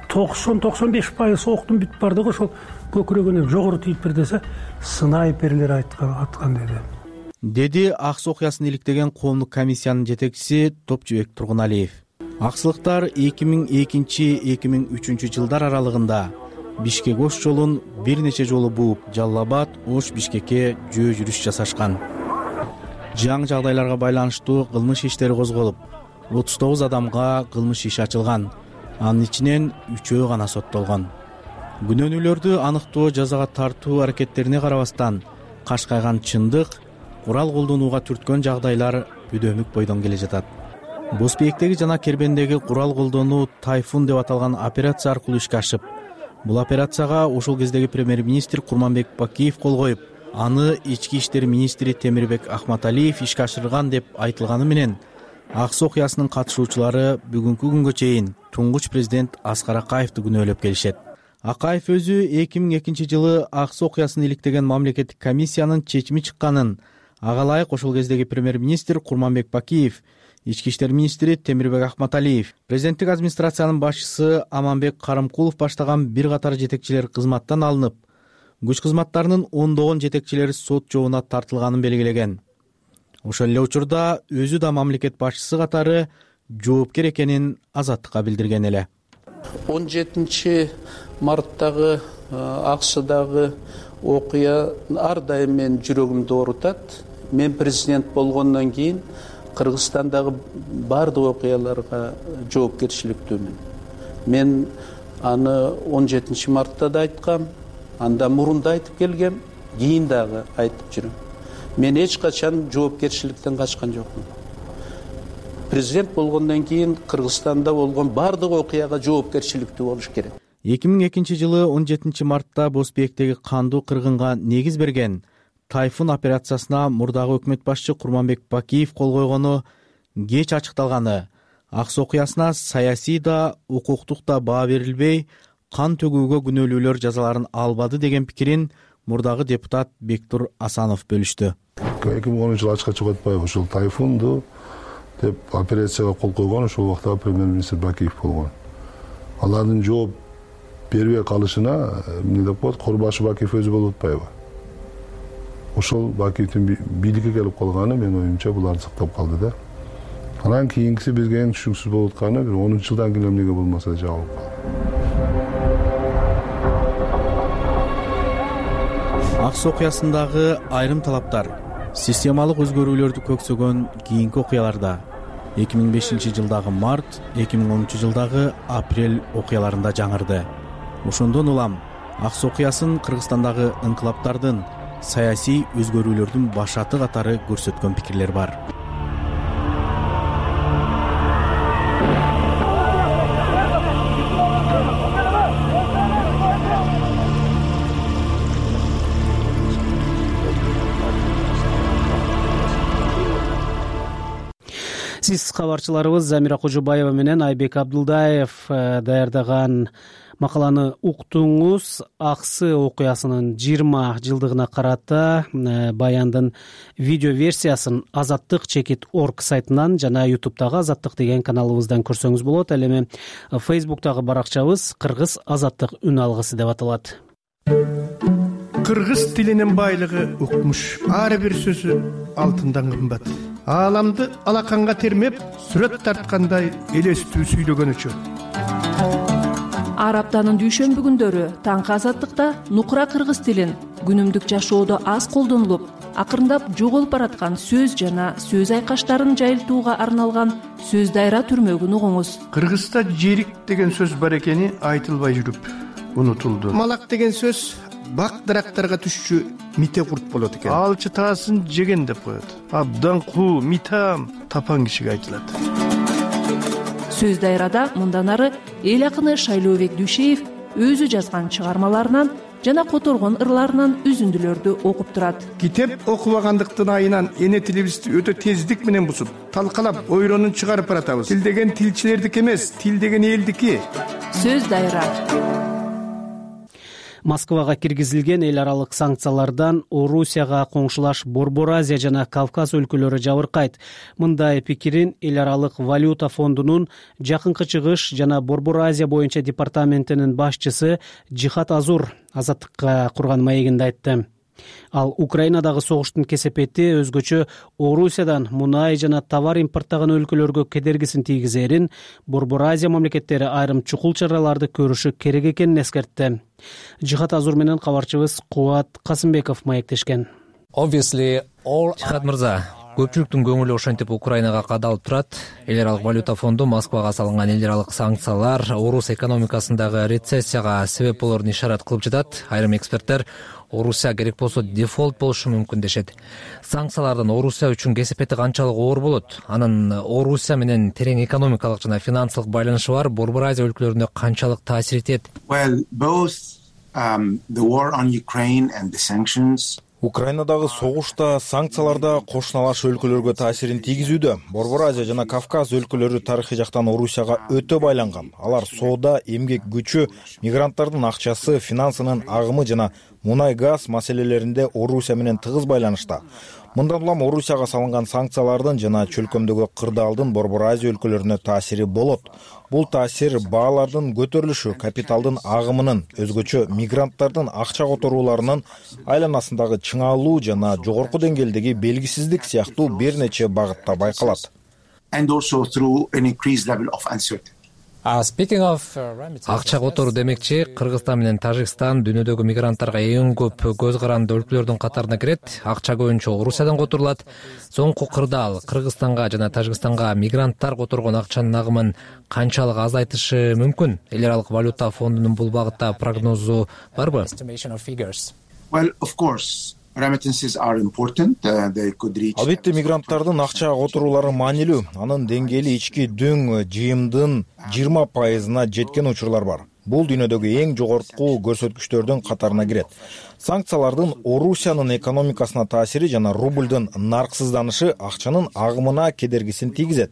90-95% октун бүт бардыгы ошол көкүрөгүнөн жогору тийип бир десе, снайперлер аткан деди ак суу окуясын иликтеген коомдук комиссиянын жетекчиси Топчубек Тургуналиев. Аксылыктар 2002-2003 жылдар аралыгында Бишкек Ош жолун бир нече жолу бууп, Жалал Абад, Ош, Бишкекке жөө жүрүш жасашкан. Жаңы жагдайларга байланыштуу кылмыш иштери козголуп, 39 адамга кылмыш иши ачылган. Анын ичинен 3-өө гана соттолгон. Күнөөнүүлөрдү аныктоо, жазага тартуу аракеттерине карабастан, кашкайган чындык, курал колдонууга түрткөн жагдайлар бүдөмүк бойдон келе жатат. Босбектеги жана Кербендеги курал колдонуу Тайфун деп аталган операция аркылуу ишке ашып, бул операцияга ошол кездеги премьер-министр Курманбек Бакиев кол коюп, аны ички иштер министри Темирбек Ахматалиев ишке ашырган деп айтылганы менен, ак суу окуясынын катышуучулары бүгүнкү күнгө чейин туңгуч президент Аскар Акаевди күнөөлөп келишет. Акаев өзү 2002 жылы ак суу окуясын иликтеген мамлекеттик комиссиянын чечими чыкканын, ага ылайык ошол кездеги премьер-министр Курманбек Бакиев, ички иштер министри Темирбек Ахматалиев, президенттик администрациянын башчысы Аманбек Карымкулов баштаган бир катар жетекчилер кызматтан алынып, күч кызматтарынын ондогон жетекчилери сот жообуна тартылганын белгилеген. Ошол эле учурда өзү да мамлекет башчысы катары жоопкер экенин Азаттыкка билдирген эле. 17 марттагы АКШдагы окуя ар дайым менин жүрөгүмдү оорутат. Мен президент болгондон кийин Кыргызстандагы бардык окуяларга жоопкерчиликтүүмүн. Мен аны 17 мартта да айткам, анда мурун да айтып келгем, кийин дагы айтып жүрөм. Мен эч качан жоопкерчиликтен качкан жокмун. Президент болгондон кийин Кыргызстанда болгон бардык окуяга жоопкерчиликтүү болуш керек. 2002 жылы 17 мартта Босбектеги кандуу кыргынга негиз берген Тайфун операциясына мурдагы өкмөт башчы Курманбек Бакиев кол койгону кеч ачыкталганы, ак суу окуясына саясий да, укуктук да баа берилбей, кан төгүүгө күнөөлүүлөр жазаларын албады деген пикирин мурдагы депутат Бектур Асанов бөлүштү. 2010 жылы ачыкка чыгып атпайбы, ошол Тайфунду деп операцияга кол койгон ошол убакта премьер-министр Бакиев болгон. Алардын жооп бербей калышына эмне деп коет, Корбашы Бакиев өзү болуп атпайбы? Ошол Бакиевдин бийликке келип калганы менин оюмча буларды сактап калды да. Анан кийинкиси бизге эң түшүнүксүз болуп атканы, бир 10 жылдан кийин эмнеге болмаса жабылып калды. Ак суу окуясындагы айрым талаптар системалык өзгөрүүлөрдү көксөгөн кийинки окуяларда 2005 жылдагы март, 2010 жылдагы апрель окуяларында жаңырды. Ошондон улам ак суу окуясын Кыргызстандагы инкылаптардын, саясий өзгөрүүлөрдүн башаты катары көрсөткөн пикирлер бар. Сиз кабарчыларыбыз Замира Кожобаева менен Айбек Абдулдаев даярдаган макаланы уктуңуз. Аксы окуясынын 20 жылдыгына карата баяндын видео версиясын azattik.org сайтынан жана YouTube'дагы Азаттык деген каналыбыздан көрсөңүз болот. Ал эми Facebook'тагы баракчабыз Кыргыз Азаттык үн алгысы деп аталат. Кыргыз тилинин байлыгы укмуш. Ар бир сөзү алтындан кымбат. Ааламды алаканга термеп, сүрөт тарткандай элестүү сүйлөгөн үчүн. Ар аптанын дүйшөмбү күндөрү таңкы Азаттыкта нукура кыргыз тилин күнүмдүк жашоодо аз колдонулуп, акырындап жоголуп бараткан сөз жана сөз айкаштарын жайылтууга арналган сөз дайра түрмөгүн угуңуз. Кыргызда жерик деген сөз бар экени айтылбай жүрүп, унутулду. Малак деген сөз бак дарактарга түшчү мите курт болот экен. Алчы таасын жеген деп коет. Абдан куу, митам тапан кишиге айтылат. Сөз дайрада мындан ары эл акыны Шайлообек Дүйшеев өзү жазган чыгармаларынан жана которгон ырларынан үзүндүлөрдү окуп турат. Китеп окубагандыктын айынан эне тилибизди өтө тездик менен бузуп, талкалап, ойронун чыгарып баратабыз. Тил деген тилчилердики эмес, тил деген элдики. Сөз дайра. Москвага киргизилген эл аралык санкциялардан Орусияга коңшулаш Борбор Азия жана Кавказ өлкөлөрү жабыркайт. Мындай пикирин эл аралык валюта фондунун Жакынкы Чыгыш жана Борбор Азия боюнча департаментинин башчысы Жихат Азур Азаттыкка курган маегинде айтты. Ал Украинадагы согуштун кесепети өзгөчө Орусиядан мунай жана товар импорттаган өлкөлөргө кедергисин тийгизерин, Борбор Азия мамлекеттери айрым чукул чараларды көрүшү керек экенин эскертти. Жихат Азур менен кабарчыбыз Кубат Касымбеков маектешкен. Жихат мырза, көпчүлүктүн көңүлү ошентип Украинага кадалып турат. Эл аралык валюта фонду Москвага салынган эл аралык санкциялар Орус экономикасындагы рецессияга себеп болорун ишарат кылып жатат. Айрым эксперттер Орусия керек болсо дефолт болушу мүмкүн дешет. Санкциялардан Орусия үчүн кесепети канчалык оор болот? Анын Орусия менен терең экономикалык жана финансылык байланышы бар Борбор Азия өлкөлөрүнө канчалык таасир этет? Украинадагы согуш да, санкциялар да кошуналаш өлкөлөргө таасирин тийгизүүдө. Борбор Азия жана Кавказ өлкөлөрү тарыхый жактан Орусияга өтө байланган. Алар соода, эмгек күчү, мигранттардын акчасы, финансынын агымы жана мунай-газ маселелеринде Орусия менен тыгыз байланышта. Мындан улам Орусияга салынган санкциялардын жана чөлкөмдөгү кырдаалдын Борбор Азия өлкөлөрүнө таасири болот. Бул таасир баалардын көтөрүлүшү, капиталдын агымынын, өзгөчө мигранттардын акча которууларынын айланасындагы чыңалуу жана жогорку деңгээлдеги белгисиздик сыяктуу бир нече багытта байкалат. Акча которуу демекчи, Кыргызстан менен Тажикстан дүйнөдөгү мигранттарга эң көп көз каранды өлкөлөрдүн катарына кирет. Акча көбүнчө Орусиядан которулат. Соңку кырдаал Кыргызстанга жана Тажикстанга мигранттар которгон акчанын агымын канчалык азайтышы мүмкүн? Эл аралык валюта фондунун бул багытта прогнозу барбы? Албетте мигранттардын акча которуулары маанилүү. Анын деңгээли ички дөң жыйымдын 20%-на жеткен учурлар бар. Бул дүйнөдөгү эң жогорку көрсөткүчтөрдүн катарына кирет. Санкциялардын Орусиянын экономикасына таасири жана рубльдын нарксызданышы акчанын агымына кедергисин тийгизет.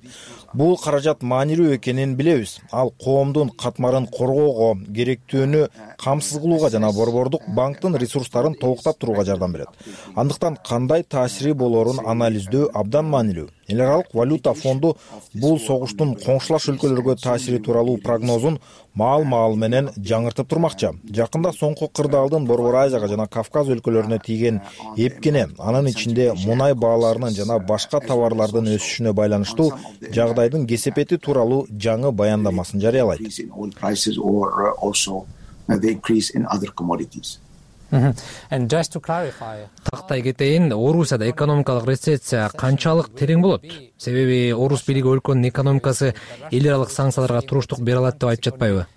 Бул каражат маанилүү экенин билебиз. Ал коомдун катмарын коргоого, керектүүнү камсыз кылууга жана борбордук банктын ресурстарын толуктап турууга жардам берет. Андыктан кандай таасири болоорун анализдөө абдан маанилүү. Эл аралык валюта фонду бул согуштун коңшулаш өлкөлөргө таасири тууралуу прогнозун маал менен жаңыртып турмакчы. Жакында соңку кырдаалдын Борбор Азияга жана Кавказ өлкөлөрүнө тийген эпкене, анын ичинде мунай бааларынын жана башка товарлардын өсүшүнө байланыштуу жагдайдын кесепети тууралуу жаңы баяндамасын жарыялайт. Тактай кетейин, Орусияда экономикалык рецессия канчалык терең болот? Себеби орус бийлиги өлкөнүн экономикасы эл аралык санкцияларга туруштук бере алат деп айтып жатпайбы?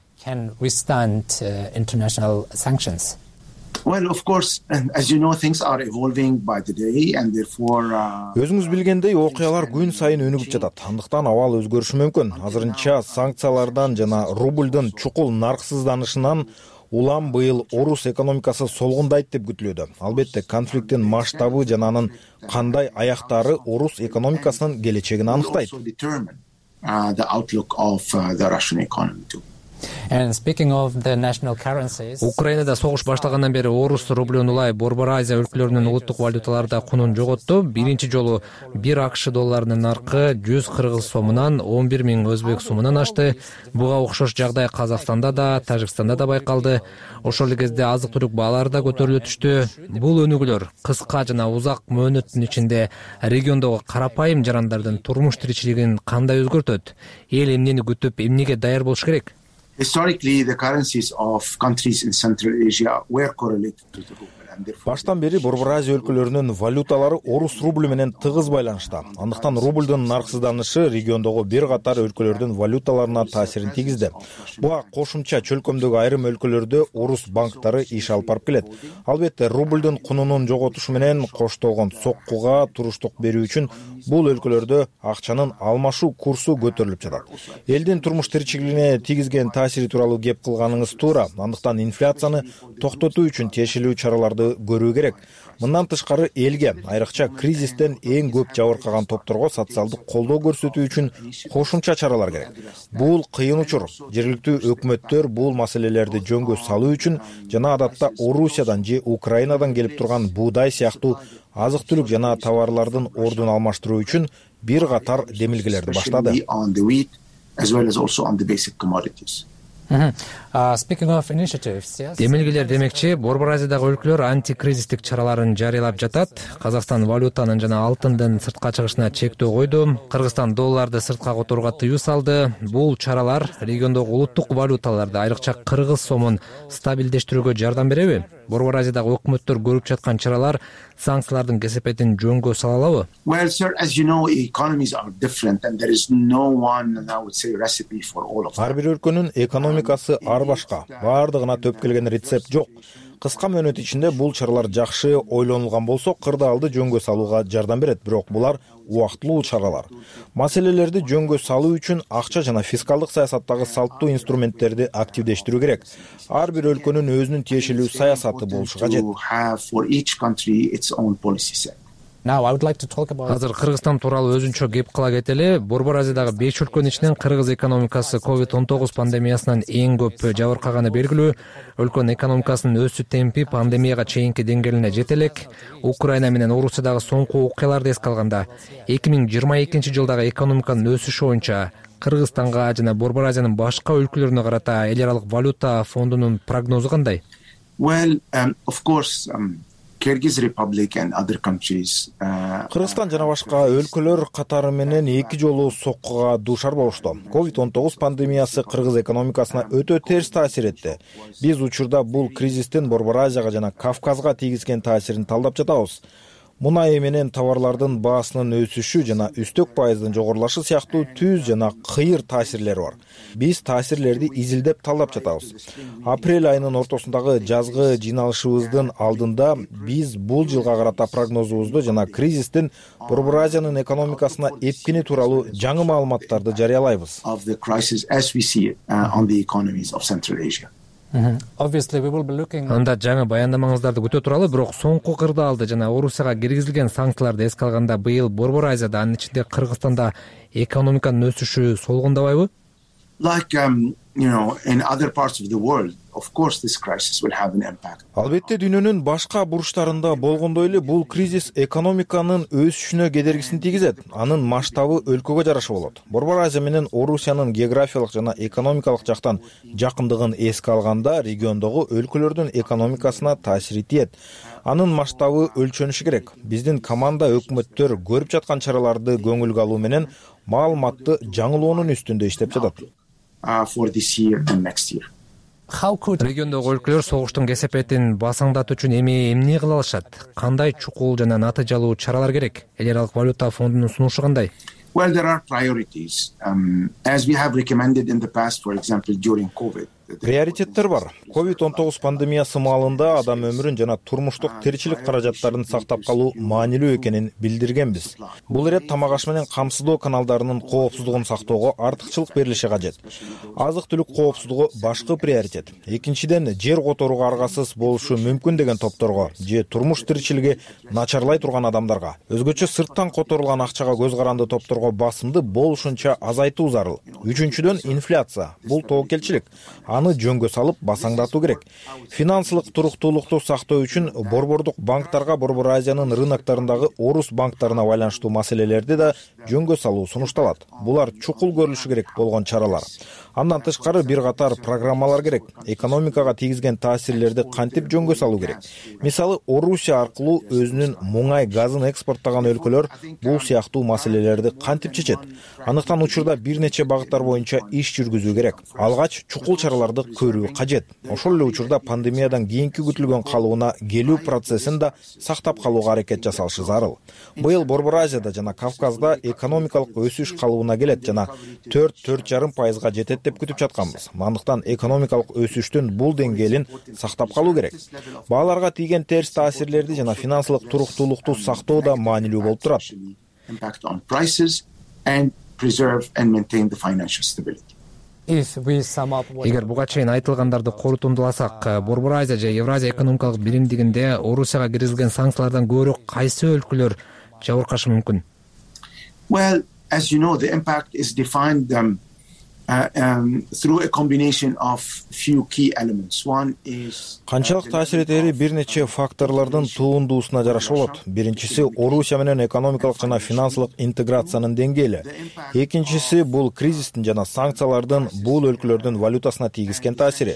Өзүңүз билгендей, окуялар күн сайын өнүгүп жатат. Андыктан абал өзгөрүшү мүмкүн. Азырынча санкциялардан жана рубльдын чукул нарксызданышынан улам быйыл орус экономикасы солгундайт деп күтүлүүдө. Албетте, конфликттин масштабы жана анын кандай аяктары орус экономикасынын келечегин аныктайт. Украинада согуш башталгандан бери орус рублён улай Борбор Азия өлкөлөрүнүн улуттук валюталарда кунун жоготту. Биринчи жолу 1 АКШ долларынын наркы 100 кыргыз сомунан 11 000 өзбек сомунан ашты. Буга окшош жагдай Казакстанда да, Тажикстанда да байкалды. Ошол эле кезде азык-түлүк баалары да көтөрүлө түштү. Бул өнүгүүлөр кыска жана узак мөөнөттүн ичинде региондогу карапайым жарандардын турмуш тиричилигин кандай өзгөртөт? Эл эмнени күтүп, эмнеге даяр болуш керек? Historically, the currencies of countries in Central Asia were correlated to the ruble. Баштан бери Борбор Азия өлкөлөрүнүн валюталары орус рубль менен тыгыз байланышта. Андыктан рубльдун нарксызданышы региондогу бир катар өлкөлөрдүн валюталарына таасирин тийгизди. Буга кошумча чөлкөмдөгү айрым өлкөлөрдө орус банктары иш алып барып келет. Албетте, рубльдун кунунун жоготушу менен коштолгон соккуга туруштук берүү үчүн бул өлкөлөрдө акчанын алмашуу курсу көтөрүлүп жатат. Элдин турмуш тиричилигине тийгизген таасири тууралуу кеп кылганыңыз туура. Андыктан инфляцияны токтотуу үчүн тиешелүү чараларды көрүү керек. Мындан тышкары элге, айрыкча кризистен эң көп жабыркаган топторго социалдык колдоо көрсөтүү үчүн кошумча чаралар керек. Бул кыйын учур. Жергиликтүү өкмөттөр бул маселелерди жөнгө салуу үчүн жана адатта Орусиядан же Украинадан келип турган буудай сыяктуу азык-түлүк жана товарлардын ордун алмаштыруу үчүн бир катар демилгелерди баштады. Демилгелер демекчи, Борбор Азиядагы өлкөлөр антикризистик чараларын жарыялап жатат. Казакстан валютанын жана алтындын сыртка чыгышына чектөө койду. Кыргызстан долларды сыртка которууга тыюу салды. Бул чаралар региондогу улуттук валюталарды, айрыкча кыргыз сомун стабилдештирүүгө жардам береби? Борбор Азиядагы өкмөттөр көрүп жаткан чаралар санкциялардын кесепетин жөнгө сала алабы? Ар бир өлкөнүн экономикасы ар башка, баардыгына төп келген рецепт жок. Кыска мөөнөт ичинде бул чаралар жакшы ойлонулган болсо, кырдаалды жөнгө салууга жардам берет, бирок булар убактылуу чаралар. Маселелерди жөнгө салуу үчүн акча жана фискалдык саясаттагы салттуу инструменттерди активдештирүү керек. Ар бир өлкөнүн өзүнүн тиешелүү саясаты болушу кажет. Азыр Кыргызстан тууралуу өзүнчө кеп кыла кетели. Борбор Азиядагы 5 өлкөнүн ичинен Кыргыз экономикасы COVID-19 пандемиясынан эң көп жабыркаганы белгилүү. Өлкөнүн экономикасынын өсүү темпи пандемияга чейинки деңгээлине жете элек. Украина менен Орусиядагы соңку окуяларды эске алганда, 2022 жылдагы экономиканын өсүшү боюнча Кыргызстанга жана Борбор Азиянын башка өлкөлөрүнө карата эл аралык валюта фондунун прогнозу кандай? Кыргызстан жана башка өлкөлөр катары менен 2 жолу соккуга дуушар болушту. COVID-19 пандемиясы кыргыз экономикасына өтө терс таасир этти. Биз учурда бул кризистин Борбор Азияга жана Кавказга тийгизген таасирин талдап жатабыз. Мунай менен товарлардын баасынын өсүшү жана үстөк пайыздын жогорулашы сыяктуу түз жана кыйыр таасирлери бар. Биз таасирлерди изилдеп талдап жатабыз. Апрель айынын ортосундагы жазгы жыйналышыбыздын алдында биз бул жылга карата прогнозубузду жана кризистин Борбор Азиянын экономикасына эпкини тууралуу жаңы маалыматтарды жарыялайбыз. Анда жаңы баяндамаңыздарды күтө туралы, бирок соңку кырдаалды жана Орусияга киргизилген санкцияларды эске алганда быйыл Борбор Азияда, анын ичинде Кыргызстанда экономиканын өсүшү солгундабайбы? Албетте, дүйнөнүн башка бурчтарында болгондой эле бул кризис экономиканын өсүшүнө кедергисин тийгизет. Анын масштабы өлкөгө жараша болот. Борбор Азия менен Орусиянын географиялык жана экономикалык жактан жакындыгын эске алганда, региондогу өлкөлөрдүн экономикасына таасири тиет. Анын масштабы өлчөнүшү керек. Биздин команда өкмөттөр көрүп жаткан чараларды көңүлгө алуу менен маалыматты жаңылоонун үстүндө иштеп жатат. Региондогу өлкөлөр согуштун кесепетин басаңдатуу үчүн эмне кыла алышат? Кандай чукул жана натыйжалуу чаралар керек? Эл аралык валюта фондунун сунушу кандай? Приоритеттер бар. COVID-19 пандемиясы маалында адам өмүрүн жана турмуштук тиричилик каражаттарын сактап калуу маанилүү экенин билдиргенбиз. Бул ирет тамак аш менен камсыздоо каналдарынын коопсуздугун сактоого артыкчылык берилиши кажет. Азык-түлүк коопсуздугу башкы приоритет. Экинчиден, жер которууга аргасыз болушу мүмкүн деген топторго же турмуш тиричилиги начарлай турган адамдарга, өзгөчө сырттан которулган акчага көз каранды топторго басымды болушунча азайтуу зарыл. Үчүнчүдөн, инфляция. Бул тобокелчилик. Аны жөнгө салып басаңдатуу керек. Финансылык туруктуулукту сактоо үчүн борбордук банктарга Борбор Азиянын рыноктарындагы орус банктарына байланыштуу маселелерди да жөнгө салуу сунушталат. Булар чукул көрүлүшү керек болгон чаралар. Андан тышкары бир катар программалар керек. Экономикага тийгизген таасирлерди кантип жөнгө салуу керек. Мисалы, Орусия аркылуу өзүнүн муңай газын экспорттогон өлкөлөр бул сыяктуу маселелерди кантип чечет? Андыктан учурда бир нече багыттар боюнча иш жүргүзүү керек. Алгач чукул чаралар чараларды көрүү кажет. Ошол эле учурда пандемиядан кийинки күтүлгөн калыбына келүү процессин да сактап калууга аракет жасалышы зарыл. Быйыл Борбор Азияда жана Кавказда экономикалык өсүш калыбына келет жана 4–4,5% жетет деп күтүп жатканбыз. Андыктан экономикалык өсүштүн бул деңгээлин сактап калуу керек. Бааларга тийген терс таасирлерди жана финансылык туруктуулукту сактоо да маанилүү болуп турат. Эгер буга чейин айтылгандарды корутундуласак, Борбор Азия же Евразия экономикалык биримдигинде Орусияга киргизилген санкциялардан көбүрөөк кайсы өлкөлөр жабыркашы мүмкүн? Well, as you know, the impact is defined through a combination of few key elements. One is канчалык таасир этери бир нече факторлордун туундуусуна жараша болот. Биринчиси Орусия менен экономикалык жана финансылык интеграциянын деңгээли. Экинчиси бул кризистин жана санкциялардын бул өлкөлөрдүн валютасына тийгизген таасири.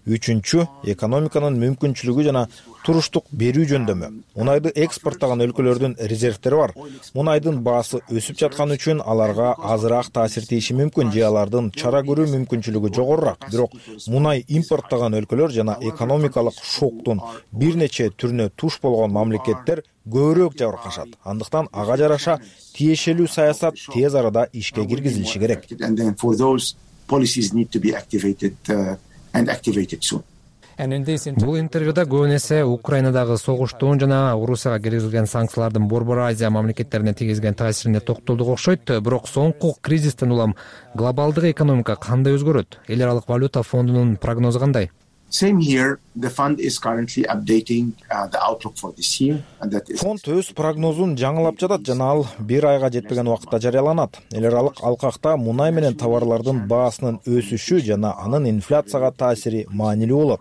Үчүнчү экономиканын мүмкүнчүлүгү жана туруштук берүү жөндөмү. Мунайды экспорттогон өлкөлөрдүн резервтери бар. Мунайдын баасы өсүп жаткан үчүн аларга азыраак таасир тийиши мүмкүн же алардын чара көрүү мүмкүнчүлүгү жогорураак. Бирок мунай импорттогон өлкөлөр жана экономикалык шоктун бир нече түрүнө туш болгон мамлекеттер көбүрөөк жабыркашат. Андыктан ага жараша тиешелүү саясат тез арада ишке киргизилиши керек. Бул интервьюда көбүн эсе Украинадагы согуштун жана Орусияга киргизилген санкциялардын Борбор Азия мамлекеттерине тийгизген таасирине токтолдук окшойт. Бирок соңку кризистен улам глобалдык экономика кандай өзгөрөт? Эл аралык валюта фондунун прогнозу кандай? Same here. The fund is currently updating the outlook for this year. Фонд өз прогнозун жаңылап жатат жана ал бир айга жетпеген убакытта жарыяланат. Эл аралык алкакта мунай менен товарлардын баасынын өсүшү жана анын инфляцияга таасири маанилүү болот.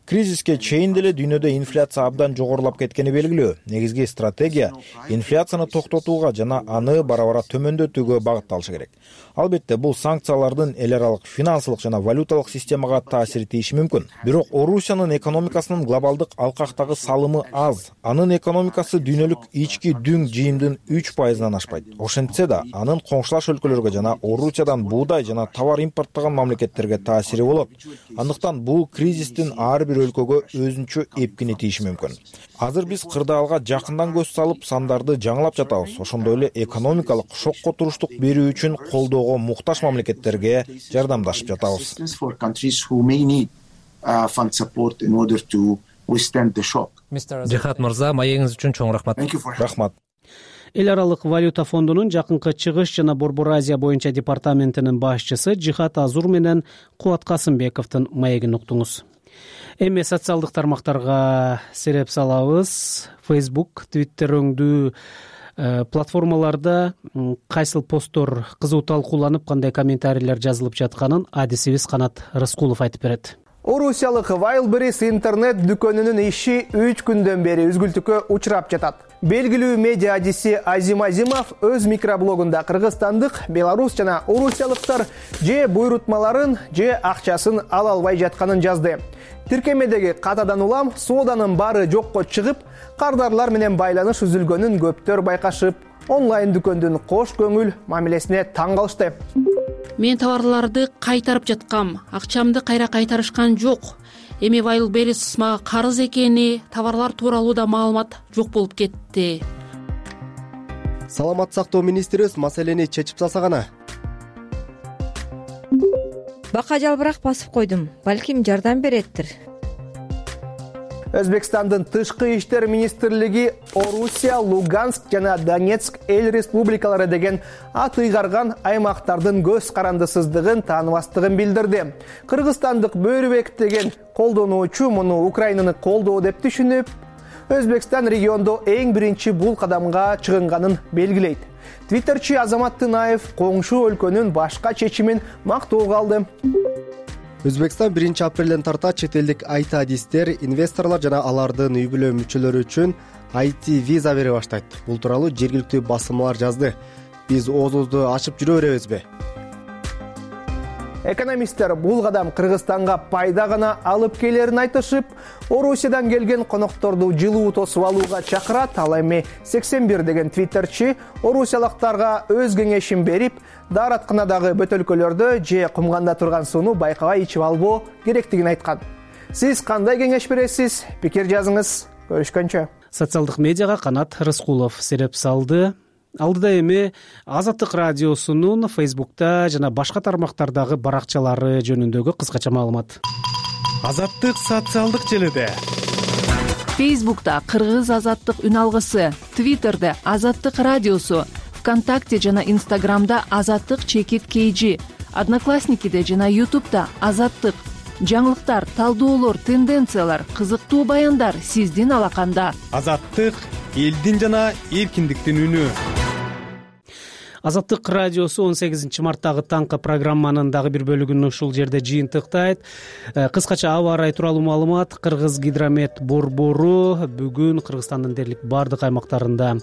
Кризиске чейин деле дүйнөдө инфляция абдан жогорулап кеткени белгилүү. Негизги стратегия инфляцияны токтотууга жана аны бара-бара төмөндөтүүгө багытталышы керек. Албетте бул санкциялардын эл аралык финансылык жана валюталык системага таасир тийиши мүмкүн. Бирок Орусиянын экономикасынын глобалдык алкактагы салымы аз. Анын экономикасы дүйнөлүк ички дүң жыйымдын 3%-дан ашпайт. Ошентсе да анын коңшулаш өлкөлөргө жана Орусиядан буудай жана товар импорттогон мамлекеттерге таасири болот. Андыктан бул кризистин ар бир өлкөгө өзүнчө эпкини тийиши мүмкүн. Азыр биз кырдаалга жакындан көз салып сандарды жаңылап жатабыз. Ошондой эле экономикалык шокко туруштук берүү үчүн колдоого муктаж мамлекеттерге жардамдашып жатабыз. Жихат мырза, маегиңиз үчүн чоң рахмат. Рахмат. Эл аралык валюта фондунун жакынкы чыгыш жана Борбор Азия боюнча департаментинин башчысы Жихат Азур менен Кубат Касымбековдун маегин уктуңуз. Эми социалдык тармактарга сереп салабыз. Facebook, Twitter өңдүү платформаларда кайсыл посттор кызуу талкууланып, кандай комментарийлер жазылып жатканын адисибиз Канат Рыскулов айтып берет. Орусиялык Wildberries интернет дүкөнүнүн иши 3 күндөн бери үзгүлтүккө учурап жатат. Белгилүү медиа адиси Азим Азимов өз микроблогунда кыргызстандык, белорус жана орусиялыктар же буйрутмаларын, же акчасын ала албай жатканын жазды. Тиркемедеги катадан улам сооданын баары жокко чыгып, кардарлар менен байланыш үзүлгөнүн көптөр байкашып, онлайн дүкөндүн кош көңүл мамилесине таң калышты. Мен товарларды кайтарып жаткам, акчамды кайра кайтарышкан жок. Эми Wildberries мага карыз экени, товарлар тууралуу да маалымат жок болуп кетти. Саламат сактоо министрибиз маселени чечип салса гана. Бака жалбырак басып койдум, балким жардам береттир. Өзбекстандын тышкы иштер министрлиги Орусия, Луганск жана Донецк эл республикалары деген ат ыйгарган аймактардын көз карандысыздыгын тааныбастыгын билдирди. Кыргызстандык Бөөрүбек деген колдонуучу муну Украинаны колдоо деп түшүнүп, Өзбекстан региондо эң биринчи бул кадамга чыгынганын белгилейт. Твиттерчи Азамат Тынаев коңшу өлкөнүн башка чечимин мактоого алды. Өзбекстан 1-апрелден тарта чет элдик IT-адистер, инвесторлор жана алардын үй бүлө мүчөлөрү үчүн IT виза бере баштайт. Бул тууралуу жергиликтүү басылмалар жазды. Биз оозубузду ачып жүрө беребизби? Экономисттер бул кадам Кыргызстанга пайда гана алып келерин айтышып, Орусиядан келген конокторду жылуу тосуп алууга чакырат. Ал эми 81 деген твиттерчи орусиялыктарга өз кеңешин берип, daarатканадагы бөтөлкөлөрдө же кумганда турган сууну байкабай ичип албоо керектигин айткан. Сиз кандай кеңеш бересиз? Пикир жазыңыз. Көрүшкөнчө. Социалдык медиага Канат Рыскулов сереп салды. Алдыда эми Азаттык радиосунун Фейсбукта жана башка тармактардагы баракчалары жөнүндөгү кыскача маалымат. Азаттык социалдык желиде. Фейсбукта Кыргыз азаттык үн алгысы, Твиттерде Азаттык радиосу, ВКонтакте жана Инстаграмда Азаттык _KG, Одноклассникиде жана Ютубта Азаттык. Жаңылыктар, талдоолор, тенденциялар, кызыктуу баяндар сиздин алаканда. Азаттык элдин жана эркиндиктин үнү. Азаттык радиосу 18 марттагы таңкы программанын дагы бир бөлүгүн ушул жерде жыйынтыктайт. Кыскача аба ырайы тууралуу маалымат. Кыргыз гидромет борбору бүгүн Кыргызстандын дээрлик бардык аймактарында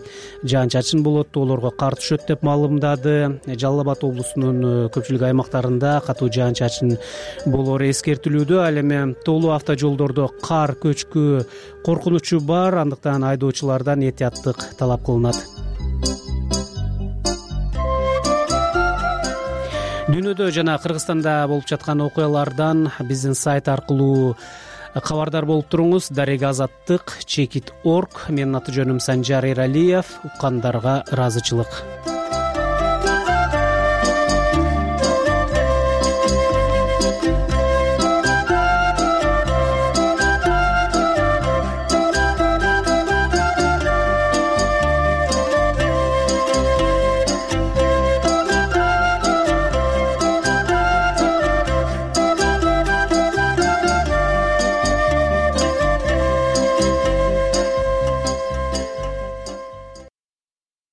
жаан-чачын болот, тоолорго кар түшөт деп маалымдады. Жалал Абад облусунун көпчүлүк аймактарында катуу жаан-чачын болоору эскертилүүдө. Ал эми тоолуу автожолдордо кар көчкү коркунучу бар, андыктан айдоочулардан этияттык талап кылынат. Дүйнөдө жана Кыргызстанда болуп жаткан окуялардан биздин сайт аркылуу кабардар болуп туруңуз. Дарек Азаттык _org. Менин аты жөнүм Санжар Эралиев. Уккандарга ыраазычылык.